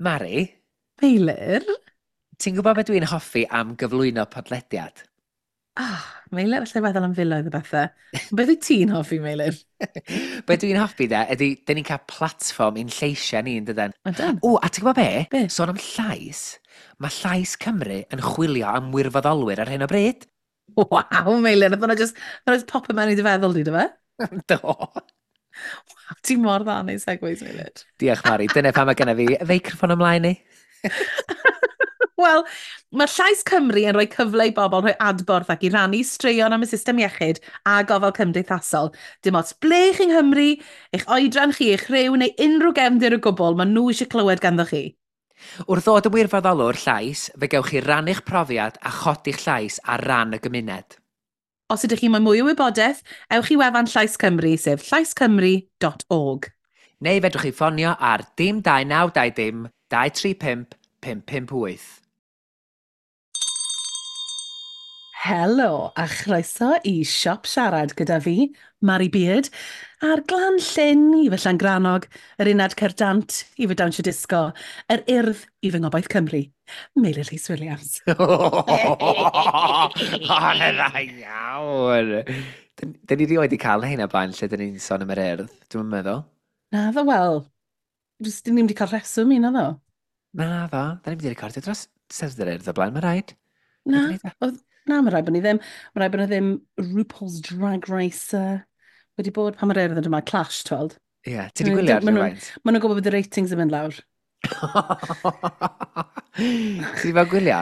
Mari? Meilir? Ti'n gwybod beth dwi'n hoffi am gyflwyno podlediad? Ah, Meilir, allai feddwl am filoedd o bethau. Beth wyt ti'n hoffi, Meilir? Be dwi'n hoffi de, ydy, dyn ni'n cael platfform i'n lleisiau ni, yn dydan? Ydan. O, a ti'n gwybod be? Be? Sôn am llais, mae Llais Cymru yn chwilio am wirfoddolwyr ar hyn o bryd. Waw, Meilir, nath hwnna just, nath hwnna just pop mewn i dy feddwl di, do fe? Do. Waw, ti mor dda yn ei segues, Meilir. Diolch, Mari. Dyna pam mae genna fi feicroffon ymlaen i. Wel, mae Llais Cymru yn rhoi cyfle i bobl rhoi adborth ac i rannu straeon am y system iechyd a gofal cymdeithasol. Dim ots ble chi'n Nghymru, eich oedran chi, eich rhyw neu unrhyw gefndir o gwbl, maen nhw eisiau clywed ganddo chi. Wrth ddod yn wirfoddolwr llais, fe gewch chi rannu'ch profiad a chodi'ch llais ar ran y gymuned. Os ydych chi moyn mwy o wybodaeth, ewch i wefan Llais Cymru, sef llaiscymru.org. Neu fedrwch chi ffonio ar dim 2920 235 558. Helo, a chroeso i Siop Siarad gyda fi, Mari Beard, a'r Glan Llyn i fy Llangrannog, yr Unad Cerdant i fy Dawnsio Disgo, yr Urdd i fy Ngobaith Cymru, Meilir Rhys Williams. O, na dda iawn! Dyn ni rioed wedi cael hyn o blaen lle dyn ni'n sôn am yr Urdd, dwi'n meddwl. Na ddo, wel, dyn ni'n wedi cael rheswm i na ddo. Na ddo, dyn ni'n wedi recordio dros Steddfod yr Urdd o blaen, mae rhaid. Na, oedd, na, mae rhaid bod ni ddim. Mae rhaid bod ni ddim RuPaul's Drag Race wedi bod pan mae'r Urdd yn yma, Clash, tweld. Ie, yeah, ti wedi gwylio ar rhywfaint? Maen nhw'n gwybod bod y ratings yn mynd lawr. Ti wedi bod gwylio?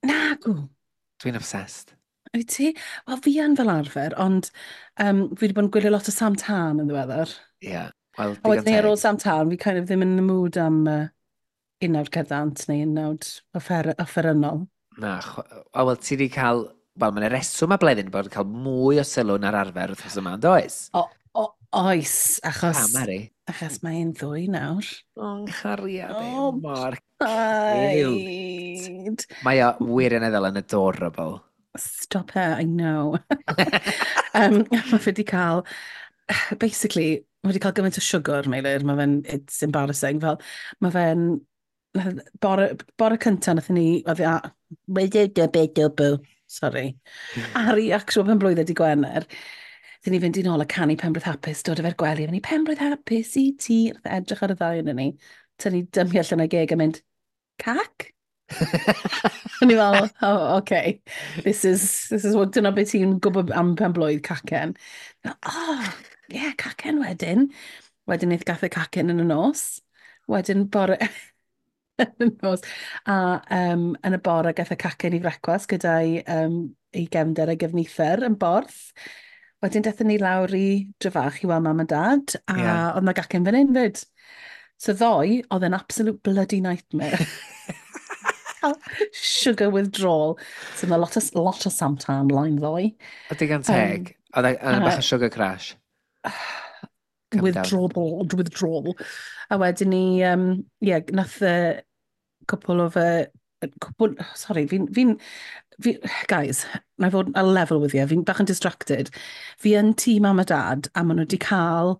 Na, gw. Dwi'n obsessed. Wyt ti? Wel, fi yn fel arfer, ond fi wedi bod yn gwylio lot o Sam Tan yn ddiweddar. Ie, yeah, wel, digon teg. A wedyn ar ôl Sam Tan, fi kind of ddim yn the mood am unawd cerddant neu unawd offerynnol. Na, o, wel, ti wedi cael... Wel, mae'n reswm a Bleddyn bod yn cael mwy o sylw na'r arfer wrth yma, yn does? O, o, oes, achos... Pa, Mari? Achos mae'n ddwy nawr. O, nghariad e, mor cute. Mae o wirioneddol yn adorable. Stop it, I know. Mae fe wedi cael... Basically, mae wedi cael gymaint o siwgr, Meilir. Mae fe'n... It's embarrassing. Fel, mae fe'n... Bore, bore cyntaf nath ni... Oedd a... Sorry. Ar ei actual penblwydd ydi Gwener. Dyn ni fynd i nôl a canu penblwydd hapus, dod efo'r gwely, a fynd i penblwydd hapus i ti. Nath e edrych ar y ddau yn ni. Tynnu dymu allan o'i geg a mynd, cac? O'n i fel, oh, okay. This is what, dyna beth ti'n gwybod am penblwydd, cacen. Oh, yeah, cacen wedyn. Wedyn wnaeth gath e cacen yn y nos. Wedyn bore... yn y nos. A yn y bore gath e cacen i frecwas gyda'i ei gefnder a'i gefnither yn Borth. Wedyn daethon ni lawr i Dryfach i weld mam a dad, a yeah. Oedd na gacen fan hyn fyd. So ddoe, oedd e'n absolute bloody nightmare. Sugar withdrawal. So mae lot o Samtan line ddoe. O, digon teg. Oedd e'n bach o sugar crash. Withdrawal. A wedyn ni, yeah, nath cwpl o fy... Cwpl, sorry, fi'n, guys, na i fod a level with you, fi'n bach yn distracted. Fi yn tŷ mam a dad, a maen nhw wedi cael,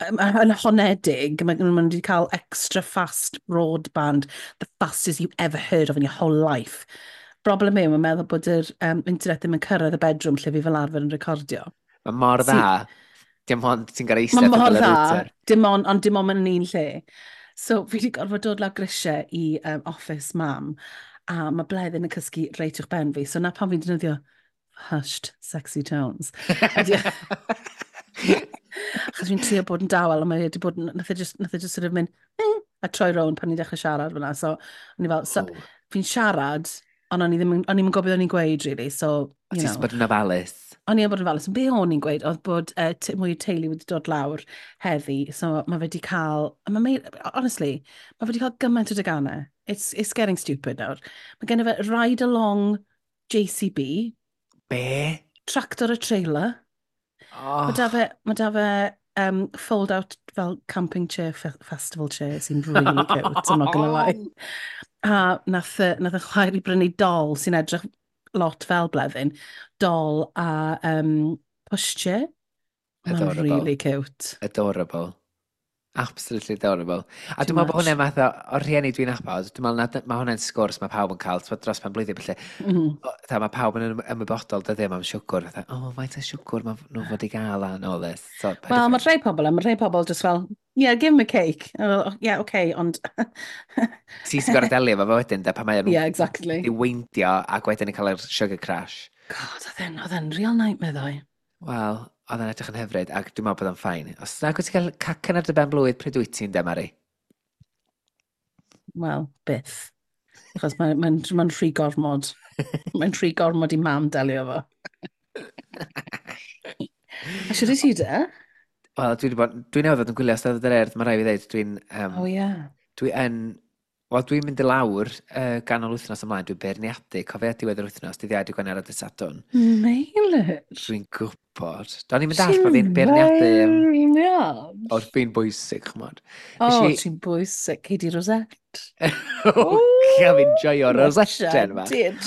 yn honedig, maen nhw wedi cael extra fast broadband, the fastest you ever heard of in your whole life. Broblem yw, mae'n meddwl bod yr internet ddim yn cyrraedd y bedroom lle fi fel arfer yn recordio. Mae mor dda. Dim ond ti'n gael eistedd yn y router. Dim ond, ond dim ond yn un lle. So fi wedi gorfod dod lawr grisiau i office mam, a mae Bleddyn yn cysgu reit uwch ben fi. So na pan fi'n defnyddio hushed, sexy tones. Achos fi'n trio bod yn dawel, a mae wedi bod, nath e just sort of mynd, a troi rownd pan ni'n dechrau siarad fyna. So, o'n i fel, so, fi'n siarad, ond o'n i ddim yn gwybod o'n i'n gweud, really. So, you know. Ti'n bod yn ofalus. O'n i'n bod yn ofalus. Be o'n i'n gweud oedd bod mwy o teulu wedi dod lawr heddi, so mae fe wedi cael... Honestly, mae fe wedi cael gymaint o deganau. It's getting stupid nawr. Mae gen i fe ride along JCB. Be? Tractor a trailer. Oh. Mae da fe fold out fel camping chair, festival chair sy'n really cute, I'm not gonna lie. A nath y chwaer i brynu dol sy'n edrych lot fel Bleddyn, dol a pushchair. Mae'n really cute. Adorable. Absolutely adorable. A Too dwi'n meddwl bod much. hwnna'n math o rhieni dwi'n nabod, dwi'n meddwl na, mae hwnna'n sgwrs mae pawb yn cael, t'mod, dros pen blwyddyn, felly, fatha, mae pawb yn ymwybodol dyddiau am siwgr, fatha, oh, faint o siwgr mae nhw fod i gael and all this. So, paid Wel, mae rhai pobl, a mae rhai pobl just fel, yeah, give him a cake. Oh, yeah, okay, ond... Ti sy'n gorfod delio efo fo wedyn, de, pan mae nhw'n Yeah, exactly. i weindio ac wedyn yn cael yr sugar crash. God, oedd e'n real nightmare ddoe. Wel, oedd e'n edrych yn hyfryd ac dwi'n meddwl bod o'n fine. Os nag wyt ti'n cael cacen ar dy ben blwydd, pryd wyt ti'n de, Mari? Wel, byth. Achos mae'n ma rhy gormod. Mae'n rhy gormod i mam delio fo. A siwr i ti de? Wel, dwi wedi bod... Dwi newydd fod yn gwylio Steddfod yr Urdd, mae rhaid fi ddeud, dwi'n... Oh, yeah. Dwi yn... Wel, dwi'n mynd i lawr ganol wythnos ymlaen, dwi'n beirniadu, cofio diwedd yr wythnos, dydd Iau, dydd Gwener a dydd Sadwrn. Meilir. Dwi'n gwybod. Do'n i'n mynd all bod fi'n beirniadu... Beirniad. O'r fi'n bwysig, ch'mod. O, ti'n bwysig. Cei di Rosette. O, fi'n joio Rosette yma. Did.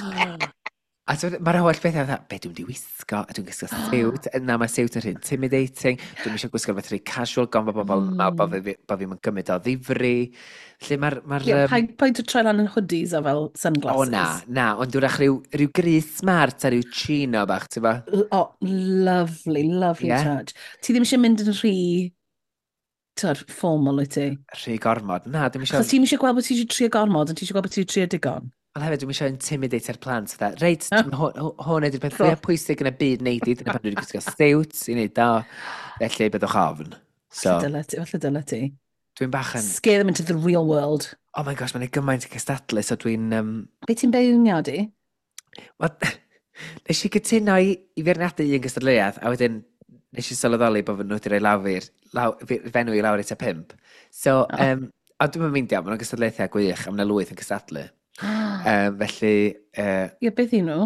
A mae'r holl beth fatha, be dwi'n di wisgo? A dwi'n gwisgo siwt. Na, mae siwt yn rhy intimidating. Dwi'n eisiau gwisgo rhywbeth rhy casual, gan bod bobl yn meddwl bod fi'n gymryd o ddifri. Felly mae'r... Ma Ie, paid o troi lan yn hoodies a fel sunglasses. O na, na, ond dwi'n rhyw, rhyw grys smart a rhyw chino bach, ti'n ba? O, lovely, lovely yeah. touch. Ti ddim eisiau mynd yn rhy, t'od, formal wyt ti? Rhy gormod. Na, dwi'n eisiau... Achos ti'n eisiau gweld bod ti eisiau trio gormod, ond ti eisiau gweld bod ti eisiau trio digon. Ond hefyd, dwi'n eisiau intimidate-ar plant. Fatha, reit, hwn ydy'r peth fwyaf pwysig yn y byd neud i. Dyna pan dwi wedi gwisgo siwt i wneud o. Felly, byddwch ofn. So, Falle dyle ti. Dwi'n bach yn... Scare them into the real world. Oh my gosh, mae'n gymaint i cystadlu, so dwi'n... Be ti'n beirniadu? Wel, nes i gytuno i feirniadu un gystadleuaeth, a wedyn nes i sylweddoli bod nhw wedi rhoi fenw i lawr i tua 5. So, a dwi'n meindio, maen nhw'n gystadlaethau gwych, a maen nhw lwyth yn cystadlu. Felly... Ie, beth i nhw?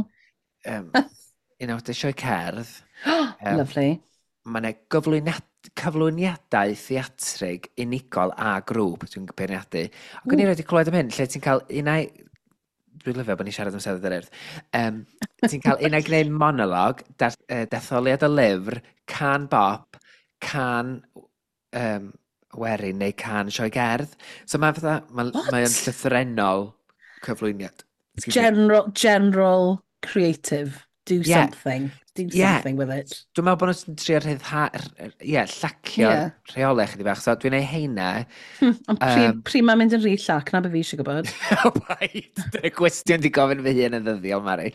Un o'r sioe cerdd. Lovely. Mae yna cyflwyniadau theatrig unigol a grŵp dwi'n beirniadu. Ac o'n i wedi clywed am hyn, lle ti'n cael unau... Dwi'n lyfio bod ni'n siarad am Steddfod yr Urdd. Ti'n cael unau gwneud monolog, detholiad o lyfr, can bop, can werin neu can sioe gerdd. So mae fatha, mae o'n llythrennol cyflwyniad. General creative. Do something. Do something with it. Dwi'n meddwl bod nhw'n trio llacio'r rheolau chydig bach. So dwi'n ei heina. Ond pryd mae'n mynd yn rhy llac, na be fi eisiau gwybod. O, paid. Dyna gwestiwn di gofyn fy hun yn ddyddiol, Mari.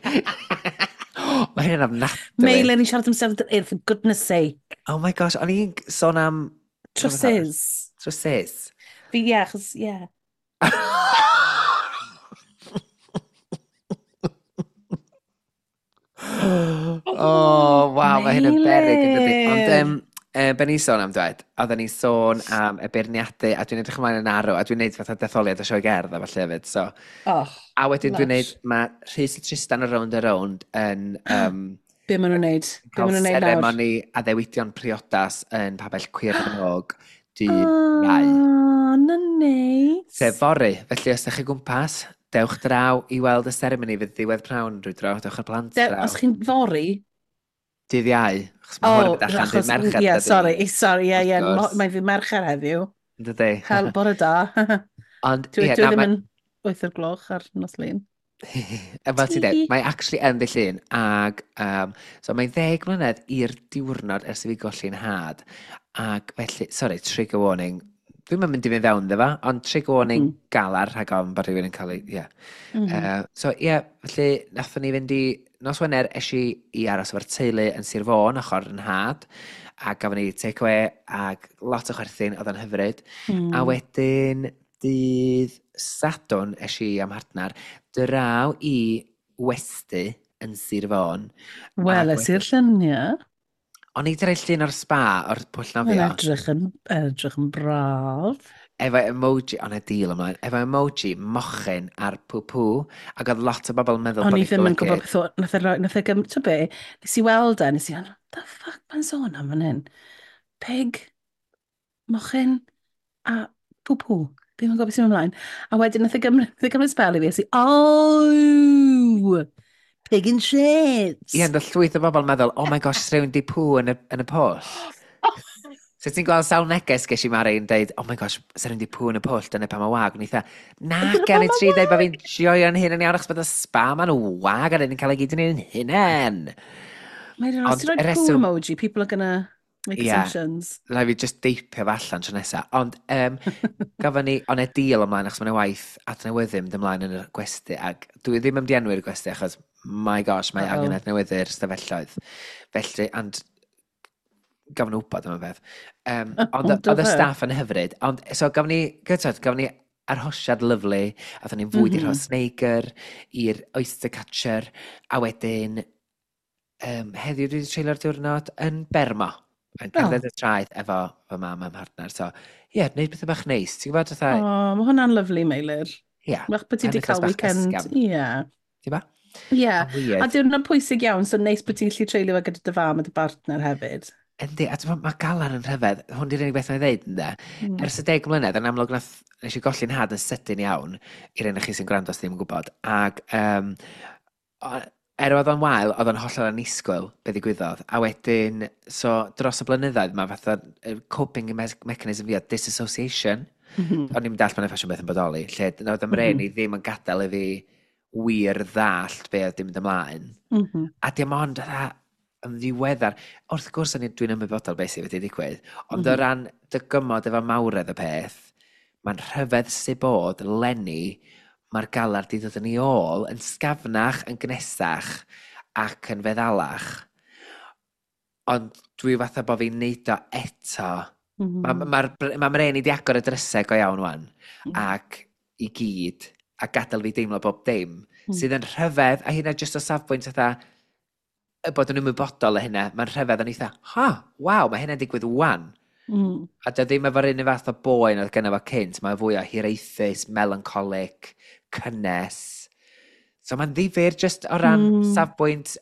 Mae hynny'n ofnadwy. Meilir, ni'n siarad am Steddfod yr Urdd, for goodness sake. Oh my gosh, o'n i'n sôn am... Trowsus. Trowsus. Fi, ie, achos, ie. Oh, waw, mae hyn yn beryg yn dydi. Ond be ni'n sôn am dweud, oedden ni'n sôn am y beirniadu, a dwi'n edrych ymlaen yn arw, a dwi'n neud fatha detholiad o sioe gerdd a falle hefyd, so. Oh, a wedyn dwi'n neud, mae Rhys a Tristan o Rownd a Rownd yn... Be maen nhw'n neud? Be maen nhw'n neud nawr? Seremoni addewidion priodas yn pabell Cwyr Nog dydd Iau. Oh, na neis. Sef fory, felly os ydych chi gwmpas, dewch draw i weld y seremoni fydd ddiwedd prawn rhyw dro, dewch â'r plant draw. Os chi'n fory? Dydd Iau, achos mae hwn yn mynd allan dydd Mercher. Ie, sorry, ie, mae'n ddydd Mercher heddiw. Dydy. Hel, bore da. Ond, ie, dwi ddim yn 8 o'r gloch ar nos Lun. Fel ti'n dweud, mae actually yn ddydd Llun, ag, so mae'n 10 mlynedd i'r diwrnod ers i fi golli'n had. Ac felly, sorry, trigger warning, dwi'n mynd i fynd fewn iddo fo, ond trigger warning galar rhag ofn bod rhywun yn cael ei, ie. So, ie, felly, nathon ni fynd i, nos Wener, es i aros efo'r teulu yn Sir Fôn, ochr yn nhad, a gafon ni takeaway, ag lot o chwerthin, oedd o'n hyfryd. A wedyn, dydd Sadwrn, es i am mhartnar, draw i westy yn Sir Fôn. Wel, es i'r lluniau. O'n i wedi rhoi llun o'r spa, o'r pwll nofio. Mae'n edrych yn braf. Efo emoji, o'n e deal ymlaen, efo emoji mochyn ar pw-pw, ac oedd lot o bobl yn meddwl bod O'n i ddim yn gwybod beth o, nath e gymryd, ti'n be, nes i weld e, nes i, what the fuck mae'n sôn am fan hyn? Pig, mochyn, a pw-pw. Ddim yn gwybod beth sy'n ymlaen. A wedyn nath e gymryd spel i fi, a si, oh! Pig and shit. Ie, ond llwyth o bobl yn meddwl, oh my gosh, rhywun di pw yn y pwll. So ti'n gweld sawl neges ges i Mari yn deud, "Oh my gosh, sa'n rhaid i pŵ yn y pwll, dyna pa mae wag." O'n i fatha, na, Dyna gen pam i mae tri deud bod wag! fi'n joio'n hun yn iawn achos bod y spa ma'n wag a ni'n cael ei gyd yn ein hunain. Mae'n os Ond ti'n y rhoi poo reswm, emoji, people are gonna make ie, yeah, assumptions. rhaid fi just deipio fe allan tro nesa. Ond gafon ni, ond e deal ymlaen achos mae'n waith adnewyddu mynd ymlaen yn y gwesty ac dwi ddim yn dienwi'r gwesty achos my gosh, mae angen Uh-oh. adnewyddu'r stafelloedd. Felly, and gafon nhw wybod am y peth. Ond Do oedd y fe? staff yn hyfryd. Ond, so gafon ni, gytod, gafon ni arhosiad lyflu, aethon ni'n fwyd i'r Rhosneigr, i'r Oyster Catcher, a wedyn heddiw dwi wedi treulio'r diwrnod yn Bermo, yn cerdded y traeth efo fy mam a'm mhartner. So, ie, yeah, gwneud pethau bach neis. Ti'n gwybod, fatha, O, mae hwnna'n lyflu, Meilir. ie, Wach bod ti wedi penwythnos cael bach weekend. ysgafn. Ie. Ti'n ba? Ie. Mae'n A weird. diwrnod pwysig iawn, so neis bod ti'n gallu treulio fe gyda dy fam a dy bartner hefyd. Yndi, a ti'n mae galar yn rhyfedd. Hwn di'r unig beth mae'n ddeud, ynde? Ers y 10 mlynedd, yn amlwg nath, nes i golli'n had yn sydyn iawn, i'r un o chi sy'n gwrando os ddim yn gwybod. Ac er oedd o'n wael, oedd o'n hollol annisgwyl be ddigwyddodd. A wedyn, so dros y blynyddoedd, mae fatha coping mechanism fi o disassociation. O'n i'n dallt mae'n ffasiwn beth yn bodoli, lle oedd ym mrên i ddim yn gadael i fi wir ddallt be oedd di mynd ymlaen. A dim ond fatha yn ddiweddar, wrth gwrs dwi'n ymwybodol beth sydd wedi digwydd, ond o ran dygymod efo mawredd y peth, mae'n rhyfedd sy'n bod leni, mae'r galar di ddod yn ei ôl yn sgafnach, yn gnesach ac yn feddalach. Ond dwi fatha bod fi'n neud o eto. Mae ma, ma mrên i di agor y drysau go iawn wan, ac i gyd, a gadael fi deimlo bob dim, sydd yn rhyfedd, a hynna jyst o safbwynt fatha, y bod yn ymwybodol o hynna, mae'n rhyfedd yn eitha, ha, waw, mae hynna'n digwydd wan. A dy ddim efo'r un fath o boen oedd gynno fo cynt, mae fwy o hiraethus, melancholic, cynnes. So mae'n ddifyr jyst o ran safbwynt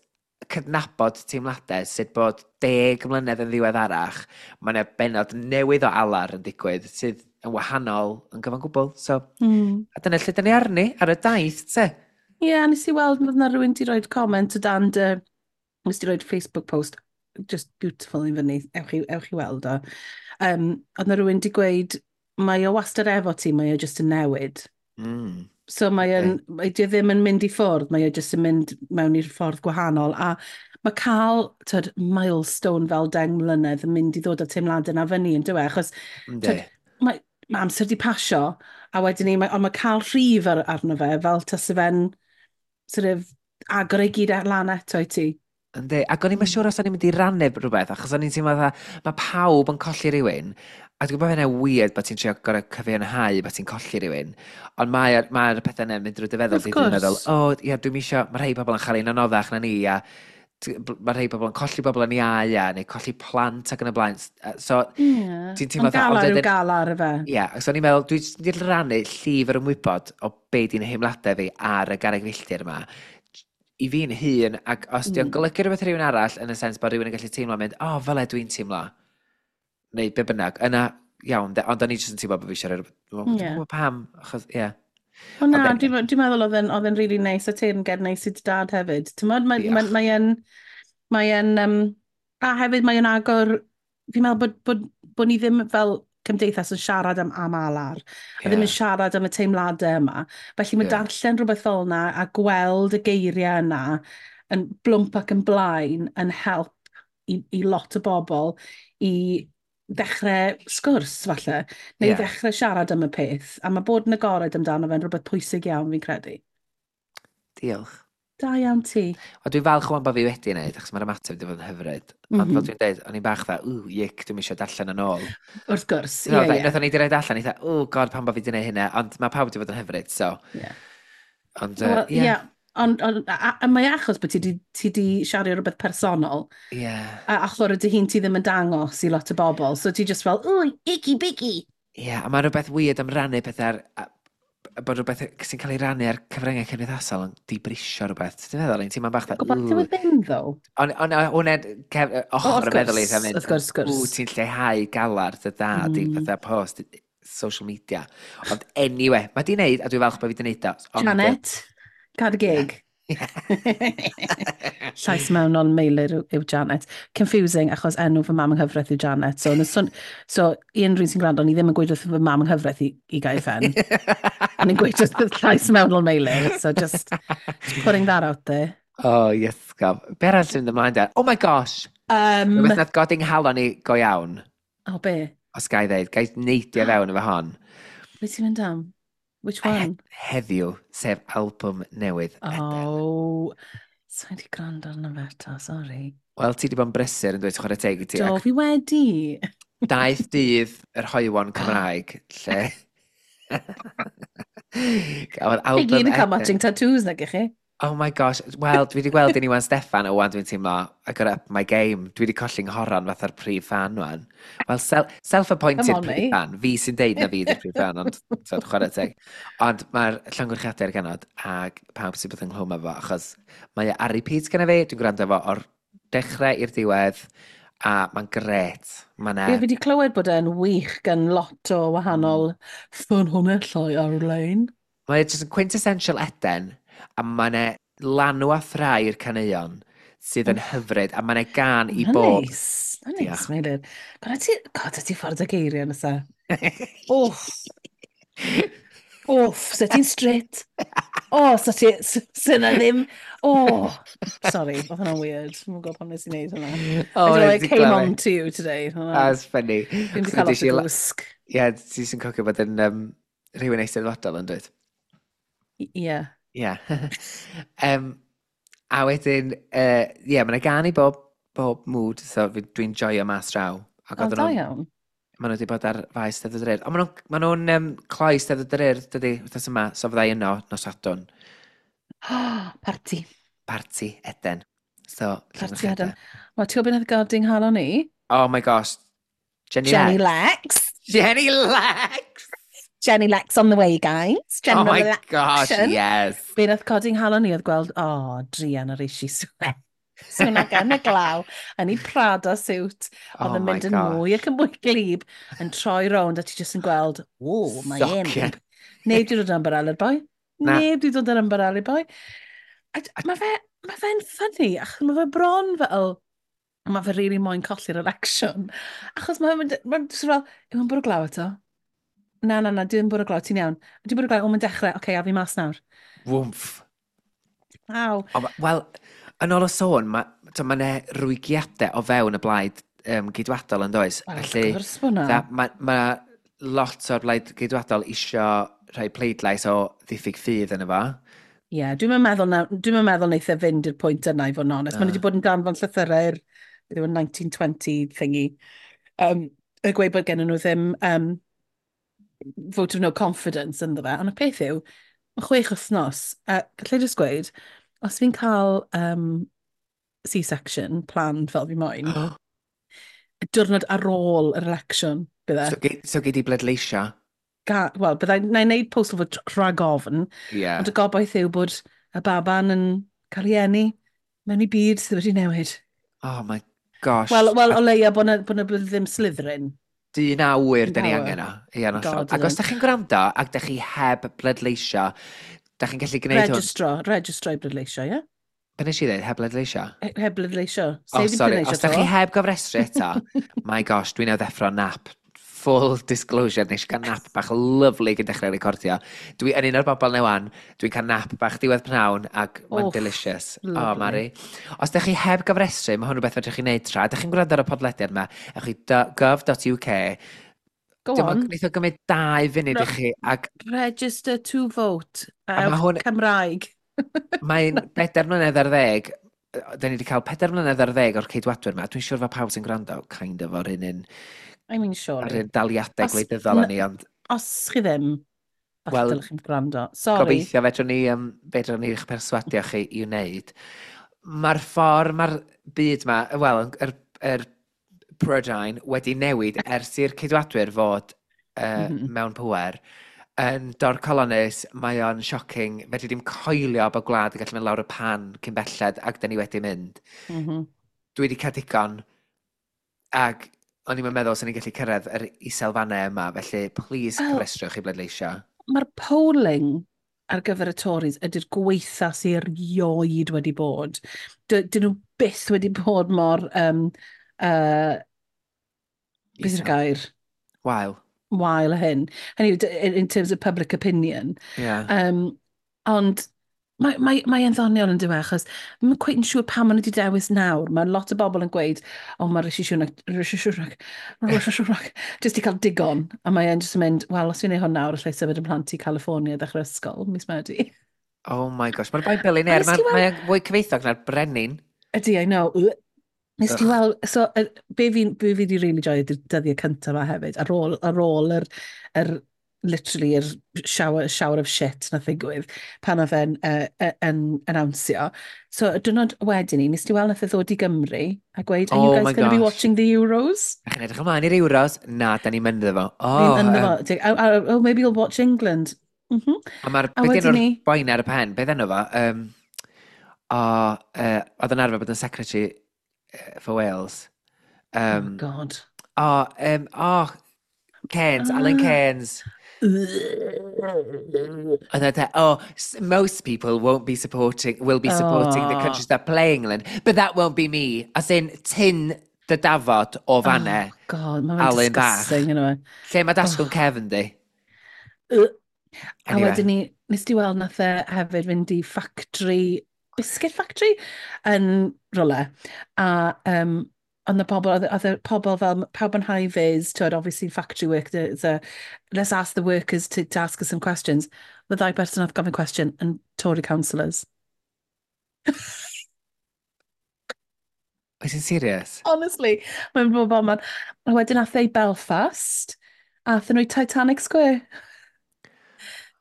cydnabod teimladau sut bod 10 mlynedd yn ddiweddarach, mae yna bennod newydd o alar yn digwydd sydd yn wahanol yn gyfan gwbl. So, a dyna lle dyn ni arni, ar y daith, te. Ie, yeah, nes i weld oedd na rhywun di roed comment o dan dy... Nes di roed Facebook post, just beautiful i fyny, ewch i weld o. Oedd na rhywun di gweud, mae o wastad efo ti, mae o just yn newid. So mae yn, mae di o ddim yn mynd i ffwrdd, mae o just yn mynd mewn i'r ffordd gwahanol. A mae cael tyd, milestone fel 10 mlynedd yn mynd i ddod â teimladau na fyny yn dywe, achos tyd, mae amser di pasio, a wedyn ni, ond mae cael rhif arno fe, fel tase fe'n sort of agor ei gyd lan eto i ti. Yndi, ac o'n i'n siŵr os o'n i'n mynd i rannu rhywbeth, achos o'n i'n teimlo fatha, mae pawb yn colli rhywun, a dwi'n gwybod hynna'n weird bod ti'n trio gorau cyfiawnhau bod ti'n colli rhywun, ond mae'r mae pethau yna'n mynd drwy dy feddwl, ti'n meddwl, o, oh, ia, dwi'n isio, mae rhai pobl yn chael ein anoddach na ni, a mae rhai pobl yn colli bobl yn iau, a neu colli plant ac yn y blaen. So, ti'n teimlo Ond galar yw galar y fe. Ie, yeah, so o'n i'n meddwl, dwi'n mynd i rannu llif yr ymwybod o be di'n heimladau fi ar y garreg filltir yma, i fi'n hun, ac os di'n golygu rhywbeth i rhywun arall, yn y sens bod rhywun yn gallu teimlo mynd, o, oh, fel e dwi'n teimlo, neu be bynnag, yna, iawn, ond o'n i jyst yn teimlo bod fi eisiau rhywbeth, dwi'n gwybod pam, achos, ie. Yeah. O na, dwi'n meddwl oedd e'n really neis, a teyrnged neis i dy dad hefyd. Ti'n meddwl, mae a hefyd mae'n agor, fi'n meddwl bod ni ddim fel cymdeithas yn siarad am alar, a ddim yn siarad am y teimladau yma. Felly mae darllen rhywbeth fel yna a gweld y geiriau yna yn blwmp ac yn blaen yn help i lot o bobl i ddechrau sgwrs, falle, neu ddechrau siarad am y peth. A mae bod yn agored amdano fe'n rhywbeth pwysig iawn, fi'n credu. Diolch. Da iawn ti. O, dwi'n falch o'n bod fi wedi wneud, achos mae'r ymateb wedi bod yn hyfryd. Ond fel dwi'n dweud, o'n i'n bach dda, ww, yic, dwi'n eisiau darllen yn ôl. Wrth gwrs, ie, ie. Nathon ni wedi rhaid allan, eitha, oh god, pam bod fi wedi gwneud hynna, ond mae pawb wedi bod yn hyfryd, so. Ond, ie. Ie, ond a mae achos bod ti di siarad rhywbeth personol. A achor ydy hi'n ti ddim yn dangos i lot o bobl, so ti just fel, ooh, icky bicky. Ie, a mae rhywbeth weird am rannu pethau bod rhywbeth sy'n cael ei rannu ar cyfryngau cymdeithasol yn dibrisio rhywbeth. Ti'n meddwl, ti'n teimlo'n bach dda... Gobeithio ddim, ddo. Ond hwnna'n ochr y meddwl i, wrth gwrs, ww, ti'n lleihau galar dy dad i fatha post social media. Ond anyway, mae di wneud, a dwi'n falch bod fi di wneud o. Janet, cad y gig. Llais mewnol Meilir yw Janet. Confusing, achos enw fy mam yng nghyfraith yw Janet. So i unrhyw un sy'n gwrando, ni ddim yn gweud wrth fy mam yng nghyfraith i gael ffen. O'n i'n gweud wrth llais mewnol Meilir. So just putting that out there. Oh, yes, gof. Be arall sy'n mynd ymlaen de? Oh my gosh! Rhywbeth nath godi'n nghalon i go iawn. O, oh, be? Os ga i ddeud, ga i neidio fewn efo hon. Be ti'n mynd am? Which one? Heddiw, sef albwm newydd Eden. Oh, sa'n wedi gwrando arno fe eto, sorry. Wel, ti wedi bod yn brysur yn dweud, chwarae teg i ti. Do, fi wedi. Daeth dydd yr hoywon Cymraeg, lle gafodd Chi album gyd yn cael Eden. matching tattoos nag ych chi? Oh my gosh, wel, dwi wedi gweld un Iwan Steffan, o wan dwi'n teimlo, I got up my game. Dwi wedi colli nghoron fatha'r prif fan wan. Wel, self-appointed Come on, prif mate. fan. Fi sy'n deud na fi ydy'r prif fan, ond tyd, chwarae teg. Ond mae'r llongyfarchiadau ar genod ac pawb sy'n bod ynghlwm efo, achos mae e ar repeat gyda fi, dwi'n gwrando efo o'r dechrau i'r diwedd, a mae'n gret. Mae'n Ie, fi wedi clywed bod e'n wych gan lot o wahanol ffynhonnellau ar-lein. Mae e jyst yn quintessential Eden, a mae'n e lanw a thrai'r caneuon sydd yn hyfryd, a mae'n e gan i Mae'n bob. neis. Mae'n neis, Diolch. Meilir. God, ti, God, ti ffordd o geiriau nesa. Wff. Wff, so ti'n straight. O, so ti, so na ddim, oh, sorry, oedd hwnna'n weird. Dwi'n gwybod pam nes i wneud hwnna. Oh, I don't know, nes it i came glywed. on to you today. Hwnna. That's funny. Dwi'n wedi cael Nes lot i o gwsg. Ie, ti sy'n cofio bod yn rhywun eisteddfodol yn dweud. Ie. Ie. A wedyn, ie, mae'n gan i bob mood, so dwi'n joio mas draw. Ac O, oedden da nhw'n iawn. maen nhw wedi bod ar faes Steddfod yr Urdd. Ond maen nhw'n cloi Steddfod yr Urdd, dydy, wythnos yma, so fydda i yno nos Sadwrn. Parti. Parti Eden. So, Parti Eden. llongyfarchiadau. Wel, ti'n gwybod beth nath godi nghalon i? Oh my gosh. Jenny, Jenny Lex. Lex. Jenny Lex! Jenny Lex on the way, guys. Oh my General gosh, election. yes. Be nath codi nghalon i oedd gweld, o, oh, druan ar Rishi Sunak. Sunak yn y glaw, yn ei Prada suit, oedd Oh yn my mynd yn mwy gosh. ac yn mwy glyb, yn troi rownd a ti jyst yn gweld, o, mae e'n Socian. Neb di dod yn ymbarel i'r boi. Na. Neb di dod yn ymbarel i'r boi. A mae fe'n funny, achos mae fe bron fel, mae fe really moyn colli'r election. Achos mae'n mynd, mae'n jyst fel, yw e'n bwrw glaw eto? Na, na, na, dwi'n bwrw glaw, ti'n iawn. Dwi'n bwrw glaw, o, mae'n dechrau, oce, okay, a fi mas nawr. Wwmff. Aw. Wel, yn ôl y sôn, mae ma 'na rwygiadau o fewn y blaid geidwadol yn does. Wel, wrth Felly, gwrs bod na. mae ma lot o'r blaid geidwadol isio rhoi pleidlais o ddiffyg ffydd yn efo. Ie, yeah, dwi'n meddwl, na, dwi'n meddwl wneith e fynd i'r pwynt yna i fod yn onest. Maen nhw Na. wedi bod yn danfon llythyrau i'r beth yw e, 1920 thingy. Y gweud bod gen nhw ddim vote of no confidence ynddo fe. Ond y peth yw, mae 6 wythnos, a gallai jyst gweud, os fi'n cael C-section planned fel fi moyn, y diwrnod ar ôl yr election, bydde. So gei di bleidleisio? Wel, byddai, na i wneud postal vote rhag ofn, ond y gobaith yw bod y baban yn cael ei eni mewn i byd sydd wedi newid. Oh my gosh. Wel, o leia bod na, bod ddim Slytherin. Dyn awyr, dyn ni Power. angen o. Ie, yn hollol. God, Ac os ydyn. da chi'n gwrando ac da chi heb bleidleisio, da chi'n gallu gwneud hwn. Registro i bleidleisio, ie? Be nes i ddweud? Heb bleidleisio? Heb bleidleisio. Oh, Sef i sorry. bleidleisio Os da chi to. heb gofrestru eto, my gosh, dwi'n newydd ddeffro nap. Full disclosure, nes i gael nap bach lovely gyn dechrau recordio. Dwi yn un o'r bobl newan, dwi'n cael nap bach diwedd pnawn ac mae'n Oof, delicious. Oh, lovely. Mari. Os da chi heb gofrestru, mae hwn rhywbeth fedrwch chi wneud tra. Da chi'n gwrando ar y podlediad yma, ewch i gov.uk. Go Dim on. ond wneith o gymryd 2 funud No. i chi, ac Register to vote. A ma' hwn- Cymraeg. mae'n 4 mlynedd ar ddeg, da ni wedi cael 4 mlynedd ar ddeg o'r ceidwadwyr yma. Dwi'n siŵr fod pawb sy'n gwrando, kind of, o'r un I mean, ar surely. un daliadau gwleidyddol â ni, ond Os chi ddim, falle Wel, dylech chi'n gwrando. Sorry. Gobeithio fedrwn ni eich perswadio chi i wneud. Mae'r ffordd mae'r byd ma, wel, yr Prydain wedi newid ers i'r ceidwadwyr fod mewn pwer yn dorcalonnus, mae o'n shocking. Fedri dim coelio bod gwlad yn gallu mynd lawr y pan cyn belled ac da ni wedi mynd. Dwi wedi cael digon ac o'n i'n meddwl sy'n ni'n gallu cyrraedd yr iselfannau yma, felly please Wel, cyfrestrwch i bleidleisio. Mae'r polling ar gyfer y Tories ydy'r gweitha sy'n erioed wedi bod. Dyn nhw byth wedi bod mor, beth yw'r gair? Wael. Wael a hyn. Hynny yw, in terms of public opinion. Yeah. Ond mae e'n ddoniol yn dyw e, achos ddim yn cweit yn siŵr pam maen nhw wedi dewis nawr. Mae lot o bobl yn gweud, "O, mae Rishi Sunak, Rishi Sunak, Rishi Sunak, jyst i cael digon." A mae e'n jyst yn mynd, "Wel, os fi'n neud hwn nawr, allai symud yn plant i California ddechrau ysgol, mis Medi." Oh my gosh, mae'r boi billionaire, Ond nes ti mae'n fwy cyfoethog na'r brenin. Ydy, I know. Ugh. Nes ti Ugh. weld, so, be fi di really joio ydy'r dyddiau cyntaf yma hefyd, ar ôl yr literally yr shower of shit na ddigwydd pan oedd e'n yn announceo. So, y diwrnod wedyn ni, nes ti weld nath e ddod i Gymru a gweud, "Are you Oh guys my going to be gosh. watching the Euros?" A chi'n edrych ymlaen i'r Euros? Na, da ni'n mynd efo. Oh, Oh, ynddo fo. Oh, oh, oh, maybe you'll watch England. A mae'r, A beth wedyn enw'r ni, boi 'na ar y pen? Beth enw fo? O, oedd yn arfer bod yn secretary for Wales. Oh God. O, Cairns, Alan Cairns. And they're, "Oh, most people won't be supporting, will be supporting the countries that play England, but that won't be me." As in, tyn dy dafod o fanne, Oh, God, mae'n Alan bach. disgusting, yna. Lle mae dasgwn cefn di? A Anyway. wedyn ni, nes ti weld nath e hefyd fynd i factory, biscuit factory, yn rwle. A ond y pobl, oedd y pobl fel, pawb yn high vis, twyd, obviously factory work, let's ask the workers to ask us some questions. The ddau person nath gofyn cwestiwn yn Tory councillors. Oes yn serious? Honestly, mae'n bod man. A wedyn ath e i Belfast, a athyn nhw i Titanic Square.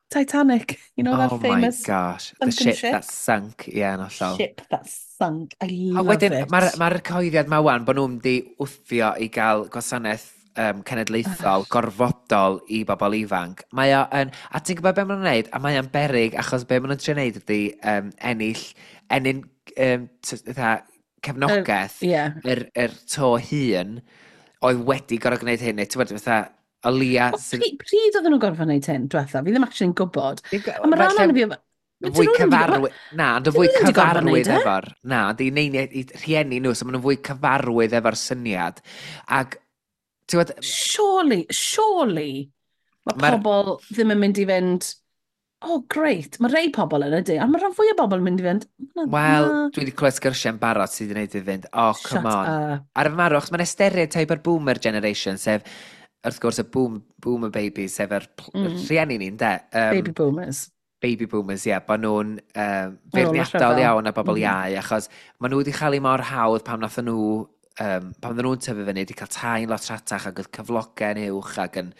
Titanic, you know that Oh my famous gosh, the sunken ship ship? that sunk, ie, yeah, yn hollol. Ship that sunk. I A love wedyn, it. mae'r ma cyhoeddiad ma wan bod nhw'n mynd i wthio i gael gwasanaeth cenedlaethol, gorfodol i bobl ifanc. Mae o yn... A ti'n gwybod beth maen nhw'n neud? A mae o'n berig, achos be maen nhw'n trio neud ydy ennill, ennyn fatha cefnogaeth yr to hŷn oedd wedi gorfod gwneud hyn. Neu ti'n gwybod, fatha, o leia Wel, sydd pryd oedden nhw'n gorfod wneud hyn, diwetha? Fi ddim actually'n gwybod. A mae rhan Falle o'n fi... fwy cyfarwydd. Na, ond yn fwy dyn nhw ddim 'di gorfod cyfarwydd neud e. efo'r. Na, ond i neini, i rhieni nhw, so maen nhw'n fwy cyfarwydd efo'r syniad. Ac, ti'n gwybod, Surely, surely, mae pobl ddim yn mynd i fynd, "Oh, great." Mae rei pobl yn ydy, ond mae rhan fwy o bobl yn mynd i fynd, "Na, Wel, na." dwi wedi clywed sgyrsiau'n barod sydd wedi gwneud i fynd, "Oh, come Shut on." up. Ar y marw, achos mae'n stereotype o'r boomer generation, sef, wrth gwrs, y boomer babies, sef yr rhieni ni'n de. Baby boomers. Baby boomers, ie, yeah, bod nhw'n Ar ôl y feirniadol rhyfel. iawn a bobl iau, achos maen nhw wedi cael ei mor hawdd pam nath nhw, pam oedden nhw'n tyfu fyny, wedi cael tai'n lot rhatach ac oedd cyflogau'n uwch ac yn,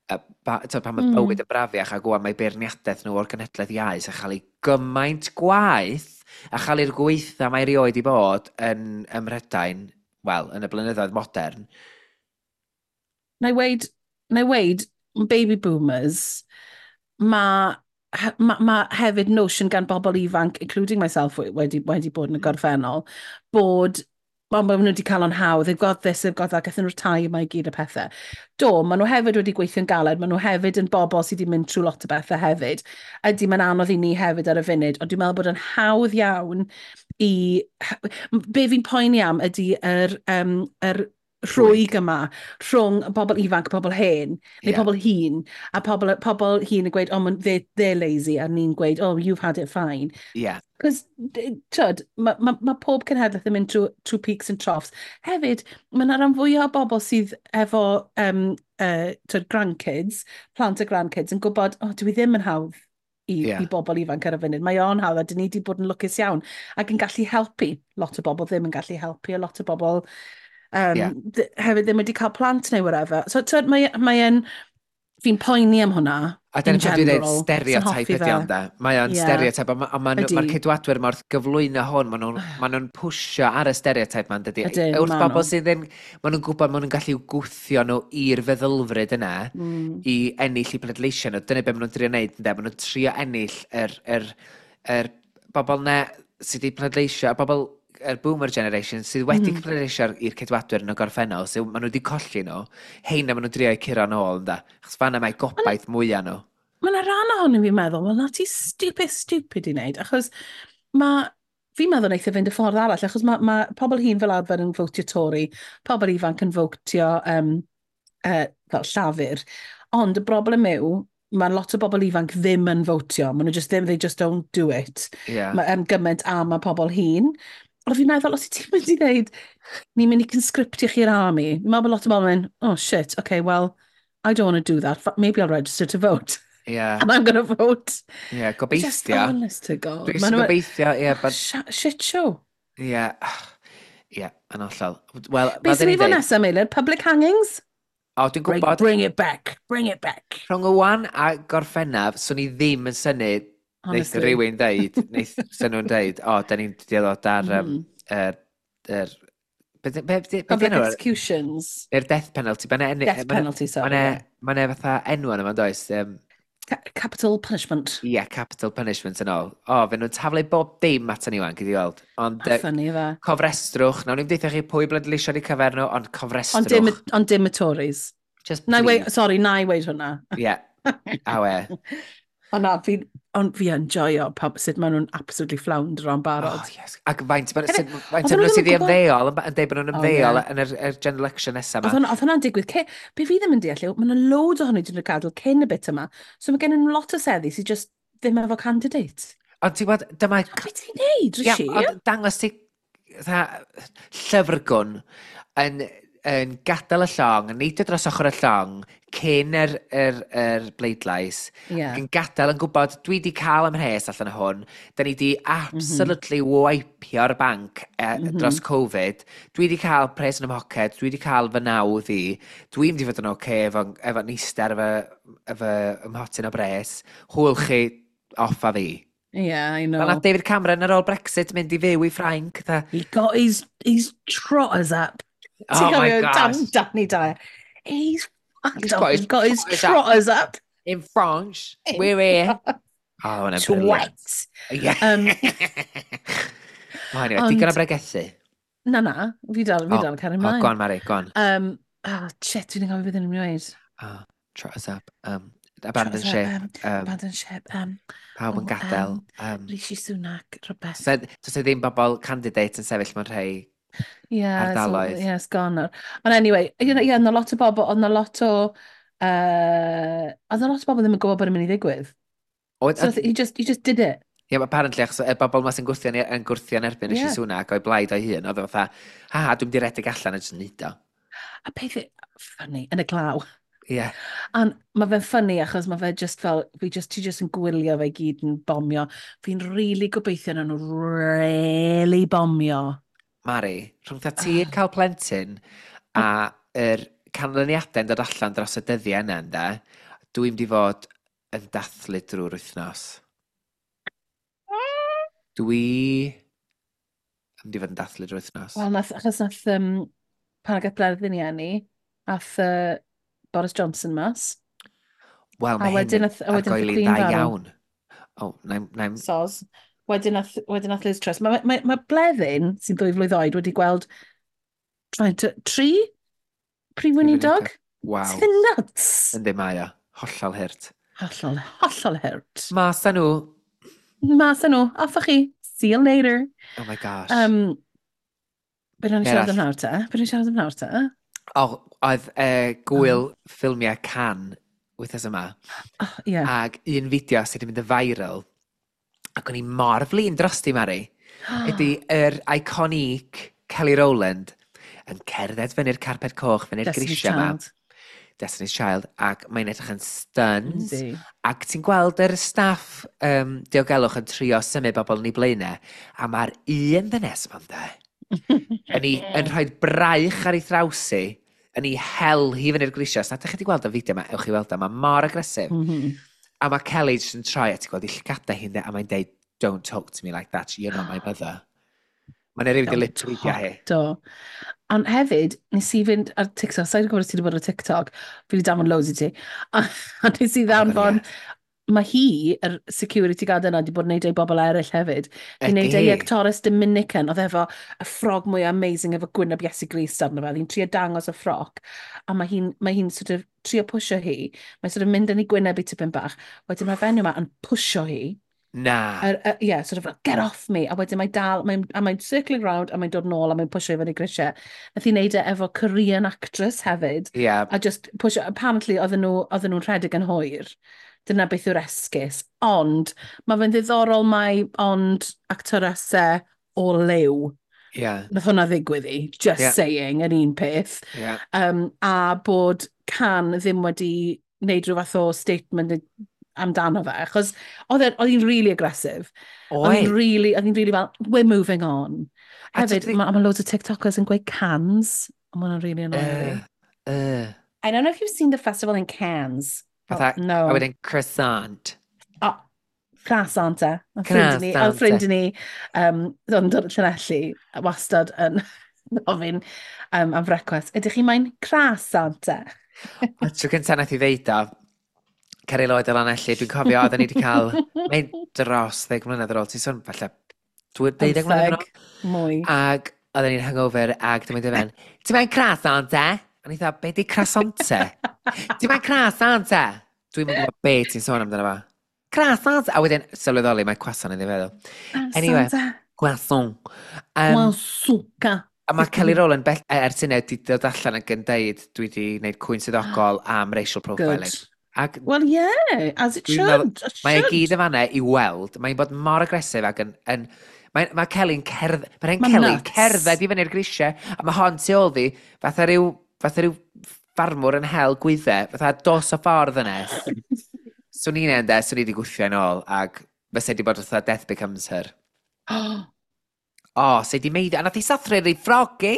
t'od, pan oedd bywyd yn brafiach ac wan mae beirniadaeth nhw o'r genhedlaeth iau sy'n cael ei gymaint gwaeth a chael i'r gweitha mae erioed i bod yn ym Mhrydain, wel, yn y blynyddoedd modern. Na i weid, baby boomers, mae ma hefyd notion gan bobl ifanc, including myself wedi bod yn y gorffennol, bod ma nhw wedi cael o'n hawdd, they've got this, they've got that, gathon nhw'r tai yma i gyd y pethau. Do, maen nhw hefyd wedi gweithio'n galed, maen nhw hefyd yn bobl sydd wedi mynd trwy lot o bethau hefyd. Ydy, mae'n anodd i ni hefyd ar y funud, ond dwi'n meddwl bod yn hawdd iawn i. Be fi'n poeni am ydy yr rhwyg yma rhwng y bobl ifanc a pobl hen, neu pobl hŷn, a pobl hŷn yn gweud, "Oh, they're lazy," a ni'n gweud, "Oh, you've had it fine." Cos, tyd, mae ma pob cenhedlaeth yn mynd trwy peaks and troughs. Hefyd, mae yna rhan fwyaf o bobl sydd efo tyd, grandkids, plant a grandkids, yn gwybod, "Oh, dwi ddim yn hawdd i bobl ifanc ar y funud. Mae o'n hawdd a dyn ni wedi bod yn lwcus iawn ac yn gallu helpu. Lot o bobl ddim yn gallu helpu, a lot o bobl hefyd ddim wedi cael plant neu whatever. So, tyd, mae yn, fi'n poeni am hwnna. A dyna in pan dwi'n dweud general. stereotype Sy'n hoffi ydy fe. ond de. Mae o'n stereotype, a ma Ydi. ceidwadwyr mor gyflwyno hwn, maen nhw'n ma nhw pwsio ar y stereotype ma'n dydy. Ydyn, Wrth ma' bobl nhw. sydd yn, maen nhw'n gwybod maen nhw'n gallu gwthio nhw i'r feddylfryd yna i ennill i pleidleisio nhw. Dyna beth maen nhw'n trio wneud, ynde? Maen nhw'n trio ennill yr bobl na sydd wedi pleidleisio, y bobl yr boomer generation sydd wedi pleidleisio i'r ceidwadwyr yn y gorffennol, sydd maen nhw wedi colli nhw, heina maen nhw'n trio eu curo nôl, ynde? Achos fanna mae gobaith mwyaf nhw. Mae'n Mae yna rhan ohonyn fi'n meddwl, wel, na ti stupid, stupid i wneud, achos mae, fi'n meddwl wneith e fynd y ffordd arall, achos mae pobl hŷn fel arfer yn fotio Tory, pobl ifanc yn fotio fel Llafur, ond y broblem yw, mae lot o bobl ifanc ddim yn fotio, maen nhw just ddim, they just don't do it. Mae gymaint a mae pobl hŷn. Ond fi'n meddwl, os ti'n mynd i ddeud, ni'n mynd i conscriptio chi'r army, fi'n meddwl bod lot o bobl yn mynd, "Oh shit, okay, well, I don't want to do that, maybe I'll register to vote. And I'm going to vote." Yeah, Just gobeithio. honest to God. Dwi'n Ma' gobeithio, ie, but Shit show. Ie, yn hollol. Wel, Beth sy'n i fod nesaf, Meilir? Public hangings? O, dwi'n gwybod. Bring it back. Bring it back. Rhwng y wan a Gorffennaf, swn i ddim yn synnu neith rhywun ddeud, neith swn nhw'n deud, "O, da ni'n dod ar be Public enw? executions. Neu'r death penalty. Death penalty, sorry. Mae'n fatha enw yna, ma'n does? Capital punishment. Ie, yeah, capital punishment yn ôl. O, fe nhw'n taflu bob dim at ni wan, gyd i weld. Ond funny fe. Cofrestrwch, nawn ni'n deutha chi pwy bleidleisio i cyfer nhw, ond cofrestrwch. Ond dim y Tories. Just Na i please. weud, sorry, na i weud hwnna. Ie, awe. Ond na, fi, ond fi yn joio sut maen nhw'n absolutely flounder o'n barod. Oh, yes. Ac faint, Hefyd, faint oedden yn nhw nhw sydd i ddim yn gwbod ymddeol, yn deud bod nhw'n O, ymddeol ie. yn yr general election nesaf Oedd yma. hwnna'n digwydd. Be fi ddim yn deall yw, mae yna loads ohonyn nhw wedi gadael cyn y bit yma. So mae gen nhw lot o seddi sydd just ddim efo candidate. Ond ti'n gwybod, dyma Be ti'n neud, Ie, Rishi? ond dangos ti fatha llyfrgwn yn gadael y llong, yn neidio dros ochr y llong cyn yr bleidlais, ac yn gadael yn gwybod, "Dwi wedi cael 'y mhres allan o hwn, da ni wedi absolutely wipe-io'r banc dros Covid, dwi wedi cael pres yn 'y mhoced, dwi wedi cael fy nawdd i, dwi'n mynd i fod yn oce efo nister efo ymhotyn o bres, hwyl chi, off a fi." Yeah, I know. Fel nath David Cameron ar ôl Brexit mynd i fyw i Ffrainc. Fatha, He got his trotters up. Oh Ti'n my cofio gosh. Danny Dyer? He's fucked He's off. got his He's got his trotters up. trotters up. In France, In we're here. Oh, hwnna'n brilliant. Twat. Yeah. Oh, anyway, digon o bregethu. Na, fi O, dal yn cario Oh, ymlaen. go on, Mari, go on. Oh, shit, dwi'n gofio beth yn ymwneud. Oh, trot us up. Abandon Trot us up, ship. Abandon ship. Pawb yn oh, gadael. Rishi Sunak, rhywbeth. So, does e ddim bobl candidate yn sefyll mewn rhai Yeah, so, ardaloedd. yeah, it's gone nawr. Ond anyway, yeah, yna lot o bobl, oedd 'na lot o, oedd 'na lot o bobl ddim yn gwybod bod yn mynd i ddigwydd. So he just did it. Ie, yeah, apparently, achos y bobl ma sy'n gwrthio, yn gwrthio yn erbyn Rishi Sunak o'i blaid o'i hun, oedd o fatha, "Ha, ha, dwi'n mynd i redeg allan a jyst neud o." A peth funny, yn y glaw. Ie. Yeah. Ond mae fe'n funny achos mae fe just fel, ti just yn gwylio fe i gyd yn bomio. Fi'n really gobeithio na nhw really bomio. Mari, rhwng tha ti yn cael plentyn a yr canlyniadau'n dod allan dros y dyddiau yna, ynde, dwi'n mynd i fod yn dathlu drwy'r wythnos. Dwi yn mynd i fod yn dathlu drwy'r wythnos. Wel, achos nath, pan gath Bleddyn i eni, ath Boris Johnson mas. Wel, A mae hyn wedyn yn a wedyn nath y argoeli'n Queen dda farw. iawn. O, na'n Soz. Wedyn nath Liz Truss. Mae Bleddyn, sy'n 2 flwydd oed, wedi gweld tri prif weinidog. Waw. Sydd yn nuts. Yndi mae o. Hollol hurt. Hollol, hollol hurt. Mas â nhw. Mas â nhw. Off â chi. See you later. Oh my gosh. Be nawn ni Be siarad arall? am nawr te? Be nawn ni siarad am nawr te? O, oedd gwyl ffilmiau Cannes wythnos yma. Oh, yeah. Ac un fideo sydd wedi mynd yn viral, ac o'n i mor flin drosti, Mari, ydy yr iconic Kelly Rowland yn cerdded fyny'r carpet coch, fyny'r Destiny's grisiau yma. Child. Destiny's Child, ac mae'n edrych yn stuns. Yndi. Ac ti'n gweld yr staff diogelwch yn trio symud bobl yn ei blaenau, a mae'r un ddynes yma'n de, yn rhoi braich ar ei thrawsi, yn ei hel hi fyny'r grisiau. Os na ydych chi wedi gweld y fideo yma, ewch i weld o, mae mor agresif. A mae Kelly jyst yn troi a ti'n gweld ei llygada hi'n de, a mae'n deud, "Don't talk to me like that, you're not my mother." Mae'n rhywun wedi lip readio hi. Do. Ond hefyd, nes i fynd ar TikTok, sa'n gwybod os ti wedi bod ar TikTok, fi wedi danfon loads i ti, a nes i Oh my God, ddanfon, yes. Mae hi, yr security guard yna, wedi bod yn neud ei bobl eraill hefyd. Di wneud ei actores Dominican, oedd efo y ffrog mwy amazing efo gwyneb Iesu Grist arno fe. Oedd hi'n trio dangos y ffrog, a mae hi sort of trio pwysio hi. Mae'n sort of mynd yn ei gwyneb i tipyn bach. Wedyn mae'r fenyw yma yn pwysio hi. Na. Yeah, sort of like, "Get off me." A wedyn mae dal, a mae'n circling round, a mae'n dod nôl, a mae'n pwysio i fyny grisiau. Nath hi wneud e efo Korean actress hefyd. A just pwysio, apparently oedden nhw'n rhedeg yn hwyr. Dyna beth yw'r esgus. Ond, mae fe'n ddiddorol mai ond actoresau o liw. Nath hwnna ddigwydd i, just saying, yn un peth. A bod Can ddim wedi wneud rhyw fath o statement amdano fe, achos oedd hi'n really aggressive. Oedd hi'n really fel, "We're moving on." Hefyd, mae loads o TikTokers yn gweud cans, a ma' hwnna'n really annoying fi. "I don't know if you've seen the festival in Cannes." Fatha, Oh, no. A wedyn croissant. Oh, croissant e. Oedd ffrind i ni, oedd yn dod o Llanelli, wastad yn gofyn am frecwast. "Ydych chi moyn croissant e?" A tro cyntaf nath i ddeud o, Ceri Lloyd o Lanelli, dwi'n cofio oedden ni wedi cael, mae'n dros 10 mlynedd ar ôl, ti'n sôn falle 12 mlynedd ar ôl? Mwy. Ac oedden ni'n hangover ac dwi'n mynd i fe'n, "Ti'n moyn croissant e?" A ni dda, "Be di croissant e? Ti'n moyn croissant e?" Dwi'n mynd gwybod be ti'n sôn amdano fo. Croissant! A wedyn, sylweddoli, mae croissant yn ei feddwl. Anyway, croissant. Croissant. A mae Kelly Rowland bell, ers hynny wedi dod allan ac yn deud, "Dwi wedi gwneud cwyn swyddogol am racial profiling." Good. Ac Well, yeah, as it should. Meddwl, mae e gyd yn fanna i weld. Mae'n bod mor agresif ac yn mae Kelly'n cerdd... Mae'n Kelly cerdded i fyny'r grisiau, a mae hon tu ôl fi, fatha rhyw ffarmwr yn hel gwyddau, fatha dos o ffordd ynes. Swn i'n ende, swn i wedi gwthio yn ôl, ac fysa wedi bod fatha Death Becomes Her. O, oh, se di meiddio, a nath i sathru ei ffrog i.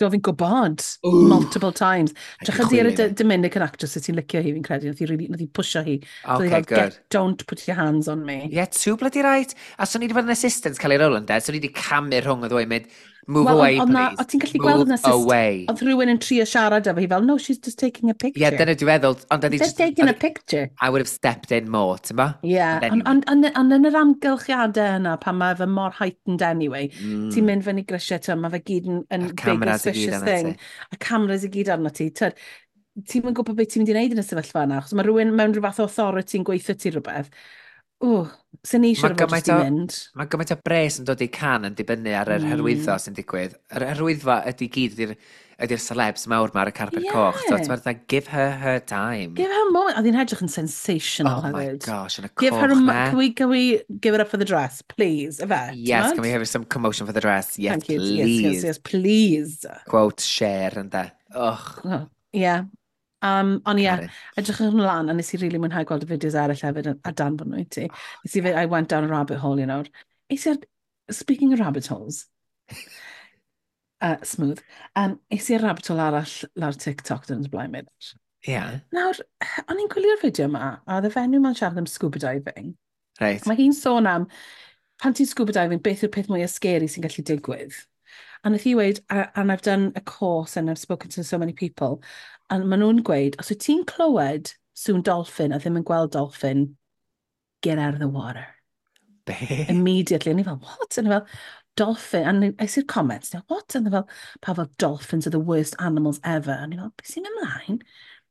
Do, fi'n gwybod. Multiple times. Drych di ar y Dominican actress sydd ti'n licio hi, fi'n credu. Nath i, really, nath i pwysio hi. Okay, so good. "Don't put your hands on me." Yeah, too bloody right. A swn i wedi bod yn assistant Kelly Rowland, de, swn i wedi camu rhwng y ddwy, mynd, "Move well, away, please. O ti'n gallu gweld yn assistant. Away." Oedd rhywun yn trio siarad efo hi fel, "No, she's just taking a picture." Yeah, dyna dwi'n feddwl. Ond "Just taking a picture." I would have stepped in more, ti'n ba? Yeah, ond on, yn yr amgylchiadau yna, pan mae fe mor heightened anyway, ti'n mynd fyny grisiau, ti'n mae fe gyd yn big suspicious thing. A cameras i gyd arno ti. Ti'n mynd gwybod beth ti'n mynd i wneud yn y sefyllfa yna, achos mae rhywun mewn rhyw fath o authority yn gweithio ti rhywbeth. O, sy'n ni eisiau fod jyst i mynd. Mae gymaint o bres yn dod i Can yn dibynnu ar yr hyrwyddo sy'n digwydd. Yr hyrwyddo ydy gyd ydy'r celebs mawr ma ar y carpet coch. So, ti'n meddwl, give her her time. Give her a moment. Oedd hi'n edrych yn sensational oh hefyd. Oh my gosh, yn y give coch her a, na. Can we give it up for the dress, please? Ife? Yes, can we have some commotion for the dress? Yes, Thank you. Please. Yes, please. Quote, share, ynde. Och. Oh, yeah. Ond ie, yeah, edrych yn lan, a nes i really mwynhau gweld y fideos eraill hefyd a danfon nhw i ti. Nes i, I went down a rabbit hole. Es i ar, speaking of rabbit holes, smooth, es i ar rabbit hole arall lawr TikTok dyn nhw'n blaen mynd. Nawr, o'n i'n gwylio'r fideo yma, a oedd y fenyw ma'n siarad am scuba diving. Mae hi'n sôn am, pan ti'n scuba diving, beth yw'r peth mwyaf scary sy'n gallu digwydd? A nath hi weud, "And I've done a course and I've spoken to so many people," a maen nhw'n gweud, os wyt ti'n clywed sŵn dolphin a ddim yn gweld dolphin, get out of the water. Be? Immediately. A ni fel, "What?" A ni fel, "Dolphin." And I see comments, now, "What?" And fel, pa fel, "Dolphins are the worst animals ever." A ni fel, "Beth sy'n ymlaen?"